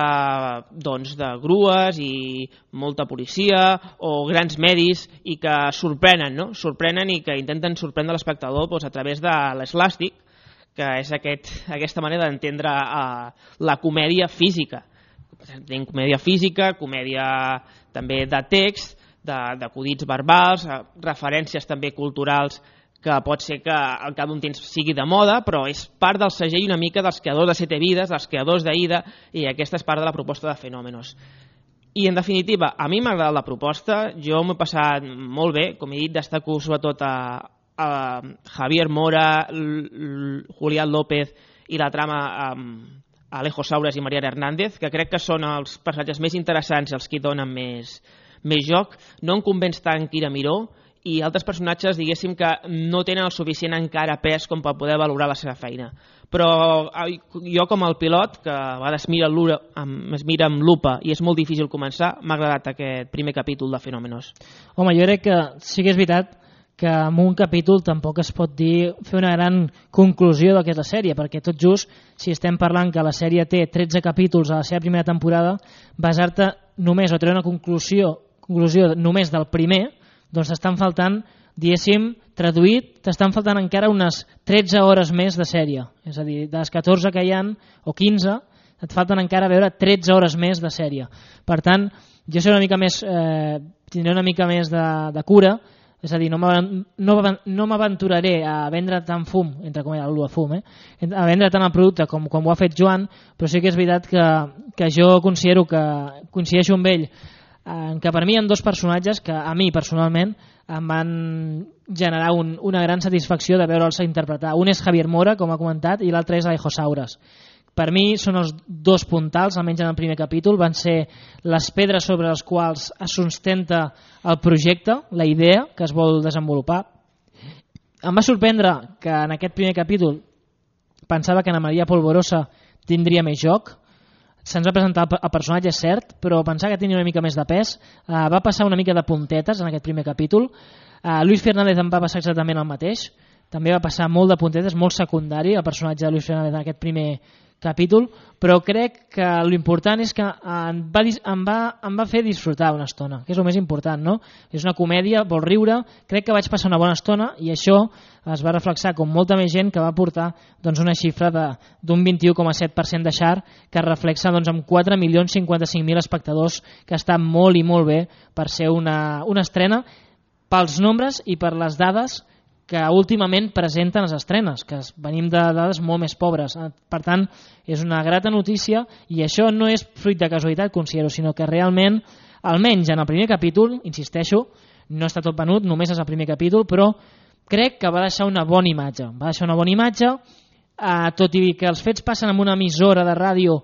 doncs de grues i molta policia o grans medis i que sorprenen, no? Sorprenen i que intenten sorprendre l'espectador doncs, a través de l'eslàstic, que és aquesta manera d'entendre la comèdia física. Tenim comèdia física, comèdia també de text, d'acudits verbals, referències també culturals que pot ser que al cap d'un temps sigui de moda, però és part del segell una mica dels creadors de Sete Vides, dels creadors d'Aida, i aquesta és part de la proposta de Fenómenos. I en definitiva, a mi m'ha agradat la proposta, jo m'he passat molt bé, com he dit, destaco sobretot a Javier Mora, Julián López i la trama Alejo Saures i Mariana Hernández, que crec que són els personatges més interessants i els que hi donen més joc. No em convenç tant Kira Miró, i altres personatges, diguéssim, que no tenen el suficient encara pes com per poder valorar la seva feina. Però jo, com el pilot, que a vegades es mira amb lupa i és molt difícil començar, m'ha agradat aquest primer capítol de Fenómenos. Home, jo crec que sí que és veritat que en un capítol tampoc es pot fer una gran conclusió del que és la sèrie, perquè tot just, si estem parlant que la sèrie té 13 capítols a la seva primera temporada, basar-te només o treure una conclusió només del primer, doncs t'estan faltant, diguéssim, traduït, t'estan faltant encara unes 13 hores més de sèrie. És a dir, de les 14 que hi ha, o 15, et falten encara veure 13 hores més de sèrie. Per tant, jo tindré una mica més de cura, és a dir, no m'aventuraré a vendre tant fum, entre com el fum, a vendre tant el producte com ho ha fet Joan, però sí que és veritat que jo considero que coincideixo amb ell que per mi hi ha dos personatges que a mi personalment em van generar una gran satisfacció de veure'ls interpretar. Un és Javier Mora, com ha comentat, i l'altre és Alejo Saures. Per mi són els dos puntals, almenys en el primer capítol, van ser les pedres sobre les quals es sustenta el projecte, la idea que es vol desenvolupar. Em va sorprendre que en aquest primer capítol pensava que Ana Maria Polvorosa tindria més joc. Se'ns va presentar el personatge, cert, però pensava que tenia una mica més de pes. Va passar una mica de puntetes en aquest primer capítol. Luis Fernández em va passar exactament el mateix. També va passar molt de puntetes, molt secundari el personatge de Luis Fernández en aquest primer capítol, però crec que l'important és que em va fer disfrutar una estona, que és el més important, no? És una comèdia, vol riure, crec que vaig passar una bona estona i això es va reflexar com molta més gent que va portar doncs, una xifra d'un 21,7% de share que reflexa doncs, amb 4.055.000 espectadors, que està molt i molt bé per ser una estrena pels nombres i per les dades que últimament presenten les estrenes, que venim de dades molt més pobres. Per tant, és una grata notícia i això no és fruit de casualitat, considero, sinó que realment, almenys en el primer capítol, insisteixo, no està tot venut, només és el primer capítol, però crec que va deixar una bona imatge. Va deixar una bona imatge, tot i que els fets passen en una emissora de ràdio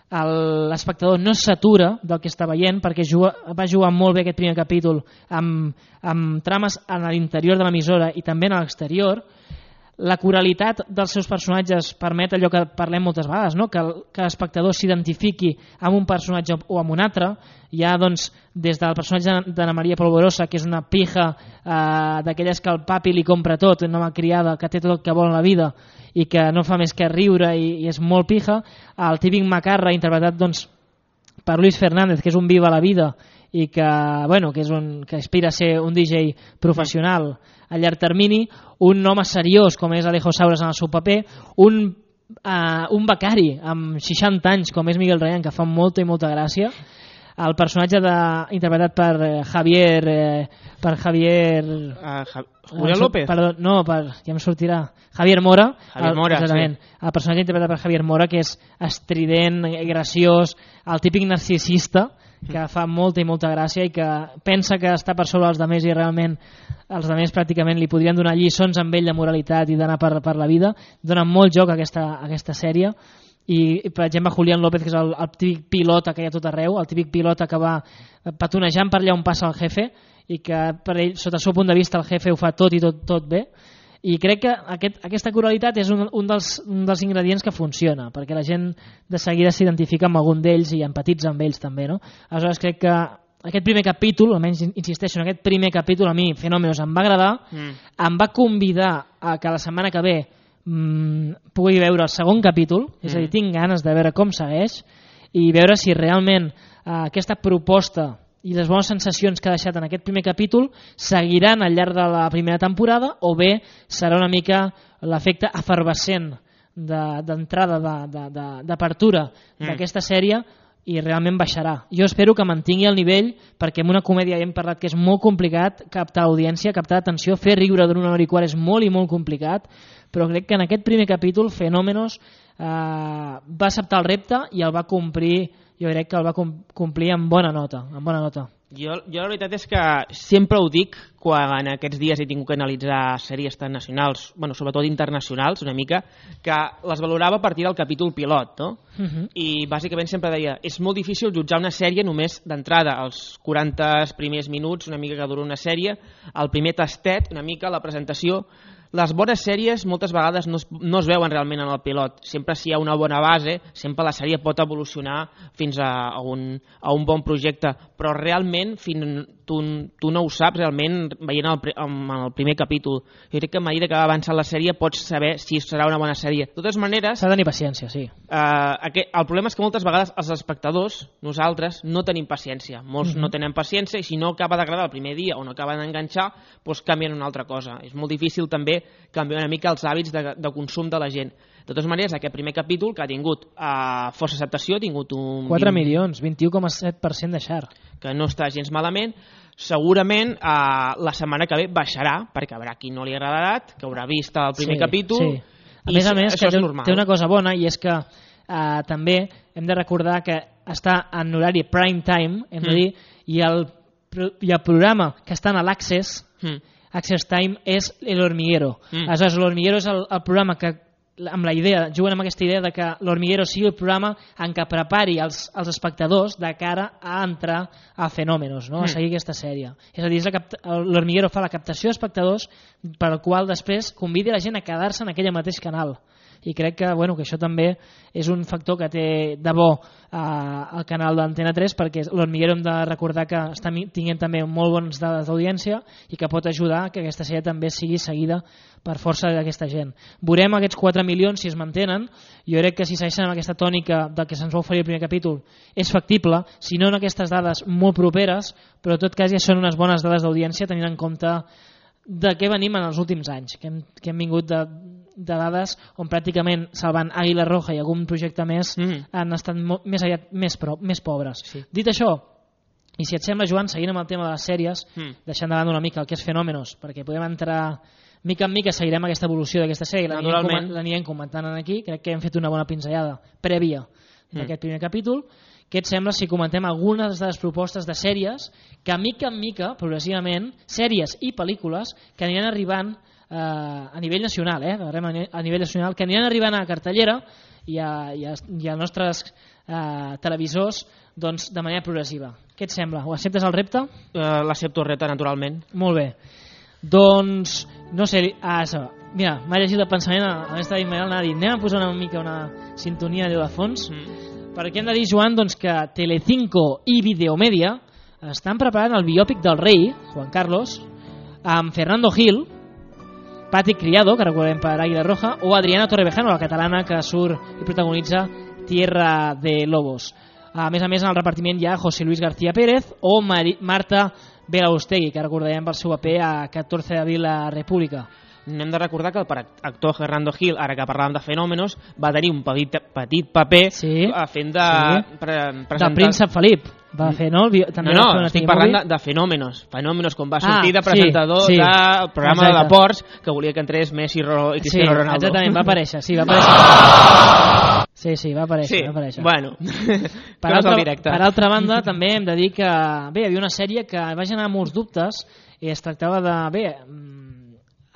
l'espectador no s'atura del que està veient, perquè va jugar molt bé aquest primer capítol amb trames a l'interior de l'emissora i també a l'exterior. La coralitat dels seus personatges permet allò que parlem moltes vegades, no? que l'espectador s'identifiqui amb un personatge o amb un altre. Hi ha doncs, des del personatge d'Anna Maria Polvorosa, que és una pija d'aquelles que el papi li compra tot, una malcriada que té tot el que vol en la vida i que no fa més que riure i és molt pija, el típic macarra interpretat doncs, per Luis Fernández, que és un viva la vida i que, bueno, que aspira a ser un DJ professional a llarg termini, un home seriós com és Alejo Saures en el seu paper, un becari amb 60 anys com és Miguel Rayán, que fa molta i molta gràcia, el personatge interpretat per Javier Julián López? Perdó, no, ja em sortirà Javier Mora, exactament. Sí. El personatge interpretat per Javier Mora, que és estrident, graciós, el típic narcisista que fa molta i molta gràcia i que pensa que està per sobre els altres i realment els altres pràcticament li podrien donar lliçons amb ell de moralitat i d'anar per la vida. Dona molt joc a aquesta sèrie. I per exemple Julián López, que és el típic pilota que hi ha tot arreu, el típic pilota que va petonejant per allà on passa el jefe i que per ell, sota el seu punt de vista, el jefe ho fa tot i tot bé. I crec que aquesta coralitat és un dels ingredients que funciona, perquè la gent de seguida s'identifica amb algun d'ells i empatitza amb ells també, no? Aleshores crec que aquest primer capítol, almenys insisteixo en aquest primer capítol, a mi Fenómenos em va agradar, em va convidar a que la setmana que ve pugui veure el segon capítol, és a dir, tinc ganes de veure com segueix i veure si realment aquesta proposta i les bones sensacions que ha deixat en aquest primer capítol seguiran al llarg de la primera temporada o bé serà una mica l'efecte efervescent d'entrada, d'apertura d'aquesta sèrie i realment baixarà. Jo espero que mantingui el nivell perquè en una comèdia hem parlat que és molt complicat captar audiència, captar atenció, fer riure d'una hora i quart és molt i molt complicat, però crec que en aquest primer capítol Fenómenos va acceptar el repte i el va complir. Jo crec que el va complir amb bona nota. Jo la veritat és que sempre ho dic quan en aquests dies he tingut que analitzar sèries tan nacionals, bueno, sobretot internacionals una mica, que les valorava a partir del capítol pilot, no? I bàsicament sempre deia, és molt difícil jutjar una sèrie només d'entrada, els 40 primers minuts, una mica que dura una sèrie, el primer tastet, una mica la presentació. Les bones sèries moltes vegades no es veuen realment en el pilot. Sempre si hi ha una bona base, sempre la sèrie pot evolucionar fins a un bon projecte, però realment tu no ho saps realment veient el primer capítol. Jo crec que a mesura que va avançant la sèrie pots saber si serà una bona sèrie. De totes maneres... S'ha de tenir paciència, sí. El problema és que moltes vegades els espectadors, nosaltres, no tenim paciència. Molts no tenen paciència i si no acaba d'agradar el primer dia o no acaba d'enganxar, doncs canvien una altra cosa. És molt difícil també canviar una mica els hàbits de consum de la gent. De totes maneres, aquest primer capítol, que ha tingut força acceptació, ha tingut un... 4 milions, 21,7% de share. Que no està gens malament. Segurament la setmana que ve baixarà, perquè haurà qui no li ha agradat, que haurà vist el primer capítol. Sí. A més, que té una cosa bona, i és que també hem de recordar que està en horari prime time, hem de dir, i el programa que està en l'Access, Access Time, és El Hormiguero. Aleshores, El Hormiguero és el programa que, amb la idea, juguen amb aquesta idea de que L'Hormiguero sigui el programa en què prepari els espectadors de cara a entrar a Fenómenos, no? A seguir aquesta sèrie. És a dir, L'Hormiguero fa la captació d'espectadors per al qual després convidi la gent a quedar-se en aquell mateix canal. I crec que això també és un factor que té de bo al canal d'Antena 3, perquè l'Hormiguero hem de recordar que està tinguent també molt bones dades d'audiència i que pot ajudar que aquesta sèrie també sigui seguida per força d'aquesta gent. Veurem aquests 4 milions si es mantenen. Jo crec que si segueixen amb aquesta tònica del que se'ns va oferir el primer capítol és factible, si no en aquestes dades molt properes, però en tot cas ja són unes bones dades d'audiència tenint en compte de què venim en els últims anys, que hem vingut de dades on pràcticament salvant Àguila Roja i algun projecte més han estat més pobres. Sí. Dit això, i si et sembla, Joan, seguint amb el tema de les sèries, deixant de banda una mica el que és Fenómenos, perquè podem entrar mica en mica, seguirem aquesta evolució d'aquesta sèrie, l'anirem comentant aquí, crec que hem fet una bona pinzellada prèvia d'aquest primer capítol. Què et sembla si comentem algunes de les propostes de sèries que mica en mica, progressivament, sèries i pel·lícules que aniran arribant a nivell nacional, a nivell nacional, que aniran arribant a cartellera i a nostres televisors doncs, de manera progressiva. Què et sembla? Ho acceptes el repte? L'accepto el repte, naturalment. Molt bé. Doncs, no sé, mira, m'ha llegit el pensament, a més de Ismael anava a dir, anem a posar una mica una sintonia de fons, perquè hem de dir, Joan, doncs, que Telecinco i Videomedia estan preparant el biòpic del rei, Juan Carlos, amb Fernando Gil, Patrick Criado, que recordem per Águila Roja, o Adriana Torrevejano, la catalana que surt i protagonitza Tierra de Lobos. A més, en el repartiment hi ha José Luis García Pérez o Marta Belaustegui, que recordarem pel seu paper a 14 d'abril a República. Hem de recordar que el actor Fernando Gil, ara que parlàvem de fenòmenos, va tenir un petit paper fent de Príncep Felip. Va fer, no? Estic parlant de fenòmenos. Fenòmenos, com va sortir de presentador del programa de Ports, que volia que entrés Messi i Cristiano Ronaldo. Exactament, va aparèixer, va aparèixer. Sí, va aparèixer. Bueno, per altra banda, també hem de dir que hi havia una sèrie que va generar molts dubtes i es tractava de,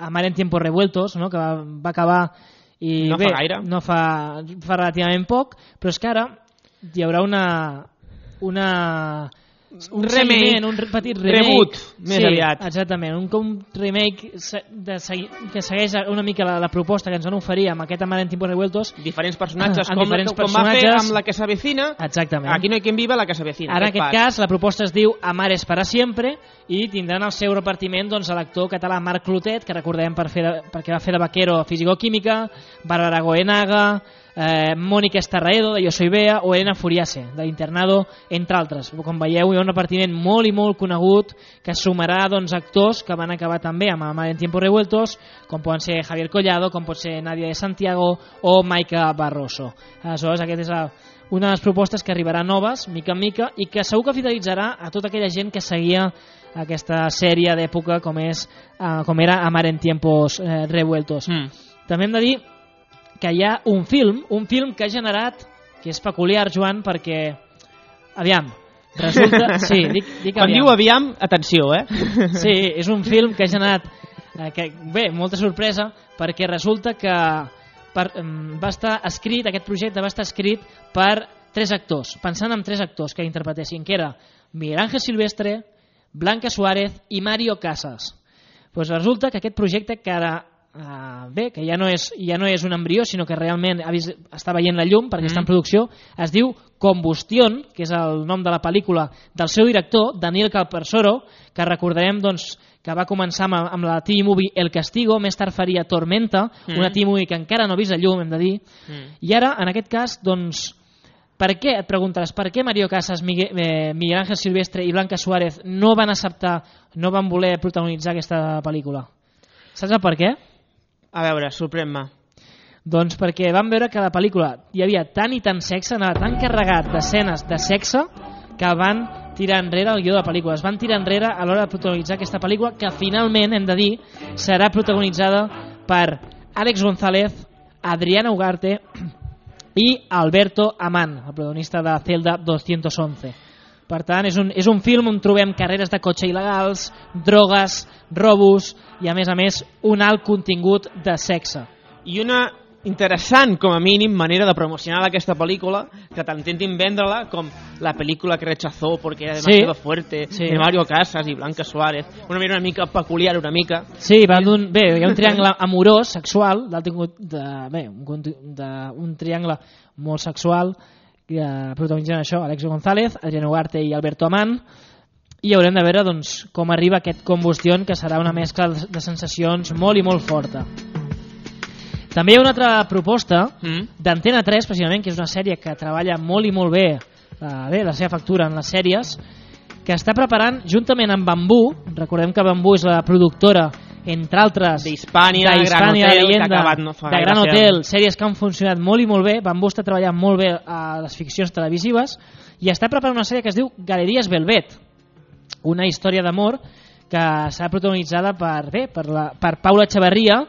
Amar en tiempos revueltos, no? Que va acabar i no fa gaire. No fa relativament poc, però és que ara hi haurà un remake, un petit remake, reboot, més aviat. Exactament, un remake que segueix una mica la proposta que ens van oferir amb aquest Amar en tiempos revueltos. Diferents personatges, com va fer amb La que s'avecina. Exactament. Aquí no hay quien viva, La que s'avecina. Ara en aquest cas la proposta es diu Amar es para siempre i tindran el seu repartiment l'actor català Marc Clotet, que recordem perquè va fer de vaquero a Físico-Química, Bárbara Goenaga, Mónica Estarraedo de Yo soy Bea o Elena Furiase de l'Internado, entre altres. Com veieu, hi ha un repartiment molt i molt conegut que sumarà actors que van acabar també amb Amar en tiempos revueltos, com poden ser Javier Collado, com pot ser Nadia de Santiago o Maika Barroso. Aleshores, aquesta és una de les propostes que arribarà noves, mica en mica, i que segur que fidelitzarà a tota aquella gent que seguia aquesta sèrie d'època com era Amar en tiempos revueltos. També hem de dir que hi ha un film que ha generat, que és peculiar, Joan, perquè, aviam, resulta... Sí, dic quan diu aviam, atenció, Sí, és un film que ha generat, molta sorpresa, perquè resulta que va estar escrit, aquest projecte va estar escrit per 3 actors, pensant en 3 actors que interpretessin, que era Miguel Ángel Silvestre, Blanca Suárez i Mario Casas. Pues resulta que aquest projecte que ara que ja no és un embrió, sinó que realment està veient la llum perquè està en producció, es diu Combustión, que és el nom de la pel·lícula del seu director, Daniel Calparsoro, que recordarem que va començar amb la TV Movie El Castigo, més tard faria Tormenta, una TV Movie que encara no ha vist la llum, hem de dir, i ara, en aquest cas, per què, et preguntaràs, per què Mario Casas, Miguel Ángel Silvestre i Blanca Suárez no van acceptar, no van voler protagonitzar aquesta pel·lícula? Saps el per què? A veure, sorprèn-me. Doncs perquè vam veure que a la pel·lícula hi havia tant i tant sexe, anava tan carregat d'escenes de sexe, que van tirar enrere el guió de la pel·lícula. Es van tirar enrere a l'hora de protagonitzar aquesta pel·lícula, que finalment, hem de dir, serà protagonitzada per Àlex González, Adriana Ugarte i Alberto Amán, el protagonista de Celda 211. Per tant, és un film on trobem carreres de cotxe il·legals, drogues, robos i, a més, un alt contingut de sexe. I una interessant, com a mínim, manera de promocionar aquesta pel·lícula, que t'intentin vendre-la com la pel·lícula que rechazó perquè era demasiado fuerte, de Mario Casas i Blanca Suárez, una manera una mica peculiar, una mica. Sí, hi ha un triangle amorós, sexual, un triangle molt sexual, protagonitzant això, Àlex González, Adriana Ugarte i Alberto Amán, i haurem de veure com arriba aquest Combustión, que serà una mescla de sensacions molt i molt forta. També hi ha una altra proposta d'Antena 3, precisament, que és una sèrie que treballa molt i molt bé la seva factura en les sèries, que està preparant, juntament amb Bambú, recordem que Bambú és la productora, entre altres, d'Hispània, Gran Hotel, de Gran Hotel, sèries que han funcionat molt i molt bé. Bambú està treballant molt bé a les ficcions televisives i està preparant una sèrie que es diu Galeries Velvet, una història d'amor que serà protagonitzada per Paula Echeverría,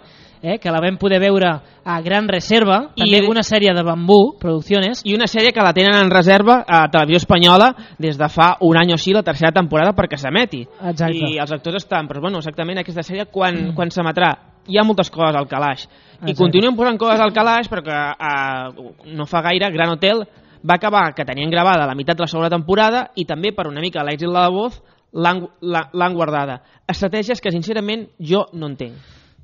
que la vam poder veure a Gran Reserva, també una sèrie de Bambú Producciones. I una sèrie que la tenen en reserva a Televisió Espanyola des de fa un any o així, la tercera temporada, perquè s'emeti. I els actors estan, però bueno, exactament aquesta sèrie quan s'emetrà. Hi ha moltes coses al calaix. I continuen posant coses al calaix, perquè no fa gaire Gran Hotel va acabar que tenien gravada la meitat de la segona temporada i també per una mica l'èxit de La Voz l'han guardada. Estratègies que sincerament jo no entenc.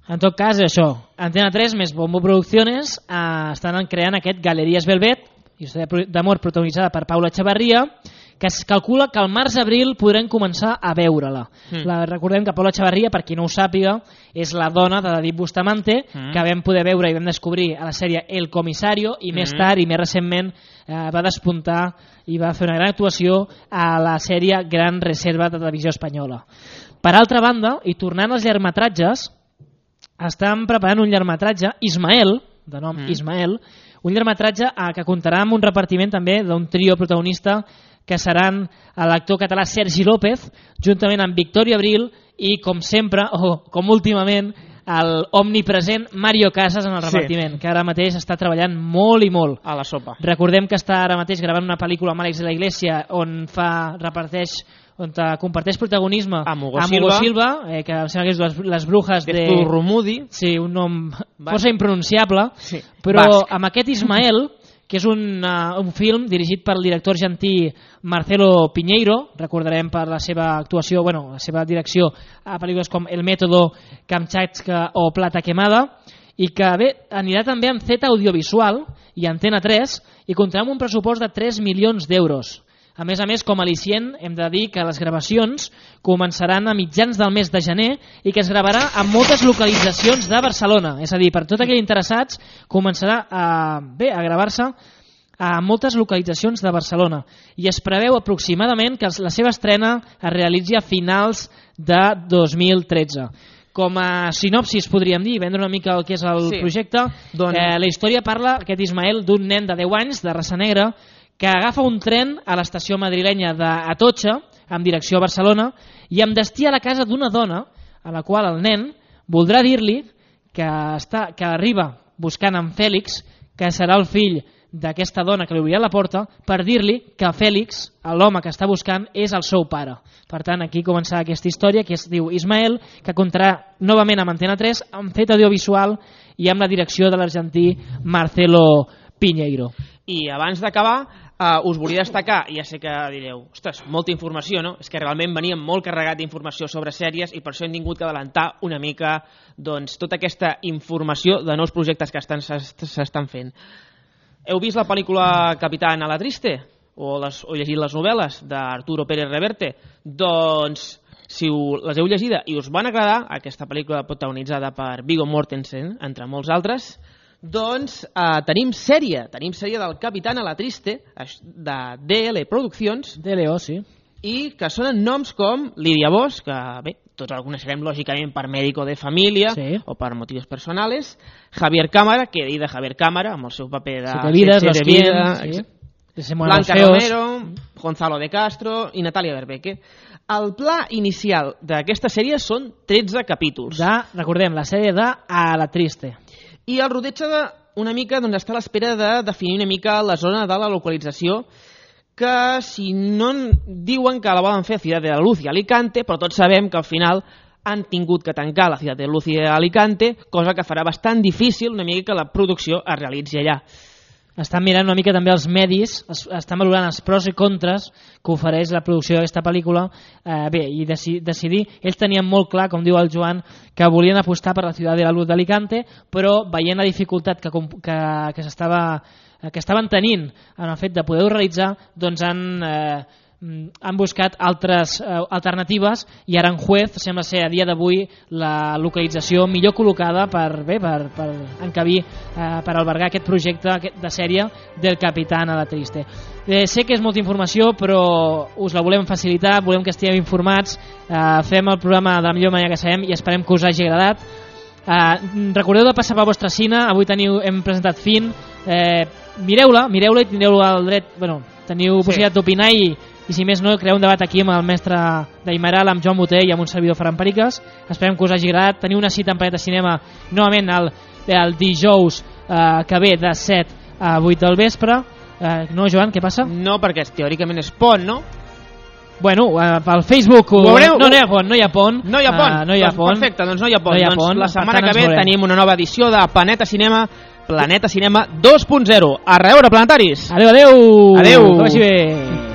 En tot cas, això, Antena 3 més Bombo Producciones estan creant aquest Galeries Velvet, història d'amor protagonitzada per Paula Echevarría, que es calcula que al març-abril podrem començar a veure-la. Recordem que Paula Echevarría, per qui no ho sàpiga, és la dona de David Bustamante, que vam poder veure i vam descobrir a la sèrie El Comisario, i més tard i més recentment va despuntar i va fer una gran actuació a la sèrie Gran Reserva de Televisió Espanyola. Per altra banda, i tornant als llargmetratges, estan preparant un llargmetratge, Ismael, de nom Ismael, un llargmetratge que comptarà amb un repartiment també d'un trio protagonista que seran l'actor català Sergi López, juntament amb Victòria Abril i, com sempre, o com últimament, el omnipresent Mario Casas en el repartiment, que ara mateix està treballant molt i molt. A la sopa. Recordem que està ara mateix gravant una pel·lícula amb Àlex de la Iglesia on comparteix protagonisme amb Hugo Silva, que em sembla que és Les Brujas de Zurrumudi. Sí, un nom força impronunciable, però amb aquest Ismael, que és un film dirigit per el director argentí Marcelo Piñeiro, recordarem per la seva actuació, la seva direcció a pel·lícules com El Método, Kamchatka o Plata Quemada, i que anirà també amb Z Audiovisual i Antena 3 i comptarà amb un pressupost de 3 milions d'euros. A més, com a al·licient, hem de dir que les gravacions començaran a mitjans del mes de gener i que es gravarà en moltes localitzacions de Barcelona. És a dir, per tots aquells interessats, començarà a gravar-se a moltes localitzacions de Barcelona. I es preveu aproximadament que la seva estrena es realitzi a finals de 2013. Com a sinopsis, podríem dir, vendre una mica el que és el projecte, la història parla, aquest Ismael, d'un nen de 10 anys, de raça negra, que agafa un tren a l'estació madrilenya d'Atocha, amb direcció a Barcelona, i amb destí a la casa d'una dona, a la qual el nen voldrà dir-li que arriba buscant en Fèlix, que serà el fill d'aquesta dona que li obrirà la porta, per dir-li que Fèlix, l'home que està buscant, és el seu pare. Per tant, aquí començarà aquesta història, que es diu Ismael, que comptarà novament amb Antena 3, amb Z Audiovisual i amb la direcció de l'argentí Marcelo Piñeiro. I abans d'acabar, us volia destacar, ja sé que direu, ostres, molta informació, no? És que realment veníem molt carregat d'informació sobre sèries i per això hem tingut que adelantar una mica tota aquesta informació de nous projectes que s'estan fent. Heu vist la pel·lícula Capitán a la Triste? O llegit les novel·les d'Arturo Pérez Reverte? Doncs, si les heu llegida i us van agradar, aquesta pel·lícula protagonitzada per Viggo Mortensen, entre molts altres, doncs tenim sèrie del Capitán a la Triste de DL Produccions, DLO, sí, i que sonen noms com Lídia Bosch, que bé, tots el coneixerem lògicament per Médico de Família o per motius personals, Javier Cámara, que he dit de Javier Cámara amb el seu paper de Siete Vidas, Blanca Romero, Gonzalo de Castro i Natàlia Berbeque. El pla inicial d'aquesta sèrie són 13 capítols. Recordem, la sèrie de A la Triste. I el rodatge una mica està a l'espera de definir una mica la zona de la localització, que si no diuen que la volen fer a Ciudad de la Luz i Alicante, però tots sabem que al final han tingut que tancar la Ciudad de la Luz i Alicante, cosa que farà bastant difícil una mica que la producció es realitzi allà. Estan mirant una mica també els medis, estan valorant els pros i contres que ofereix la producció d'aquesta pel·lícula, i decidir. Ells tenien molt clar, com diu el Joan, que volien apostar per la Ciudad de la Luz d'Alicante, però veient la dificultat que estaven tenint en el fet de poder-ho realitzar, doncs han buscat altres alternatives i Aranjuez sembla ser a dia d'avui la localització millor col·locada per encabir, per albergar aquest projecte de sèrie del Capitán a la Triste. Sé que és molta informació, però us la volem facilitar, volem que estigueu informats, fem el programa de la millor manera que sabem i esperem que us hagi agradat. Recordeu de passar pel vostre cine, avui hem presentat Fin, mireu-la i tindreu el dret, teniu possibilitat d'opinar i si més no, crear un debat aquí amb el mestre d'Aimeral, amb Joan Boter i amb un servidor Ferran Periques. Esperem que us hagi agradat. Teniu una cita en Planeta Cinema novament el dijous que ve de 7 a 8 del vespre. No, Joan, què passa? No, perquè teòricament és pont, no? Bueno, pel Facebook... No hi ha pont. No hi ha pont. Perfecte, doncs no hi ha pont. Doncs la setmana que ve tenim una nova edició de Planeta Cinema 2.0. A reveure, planetaris! Adéu! Adéu! Que vagi bé!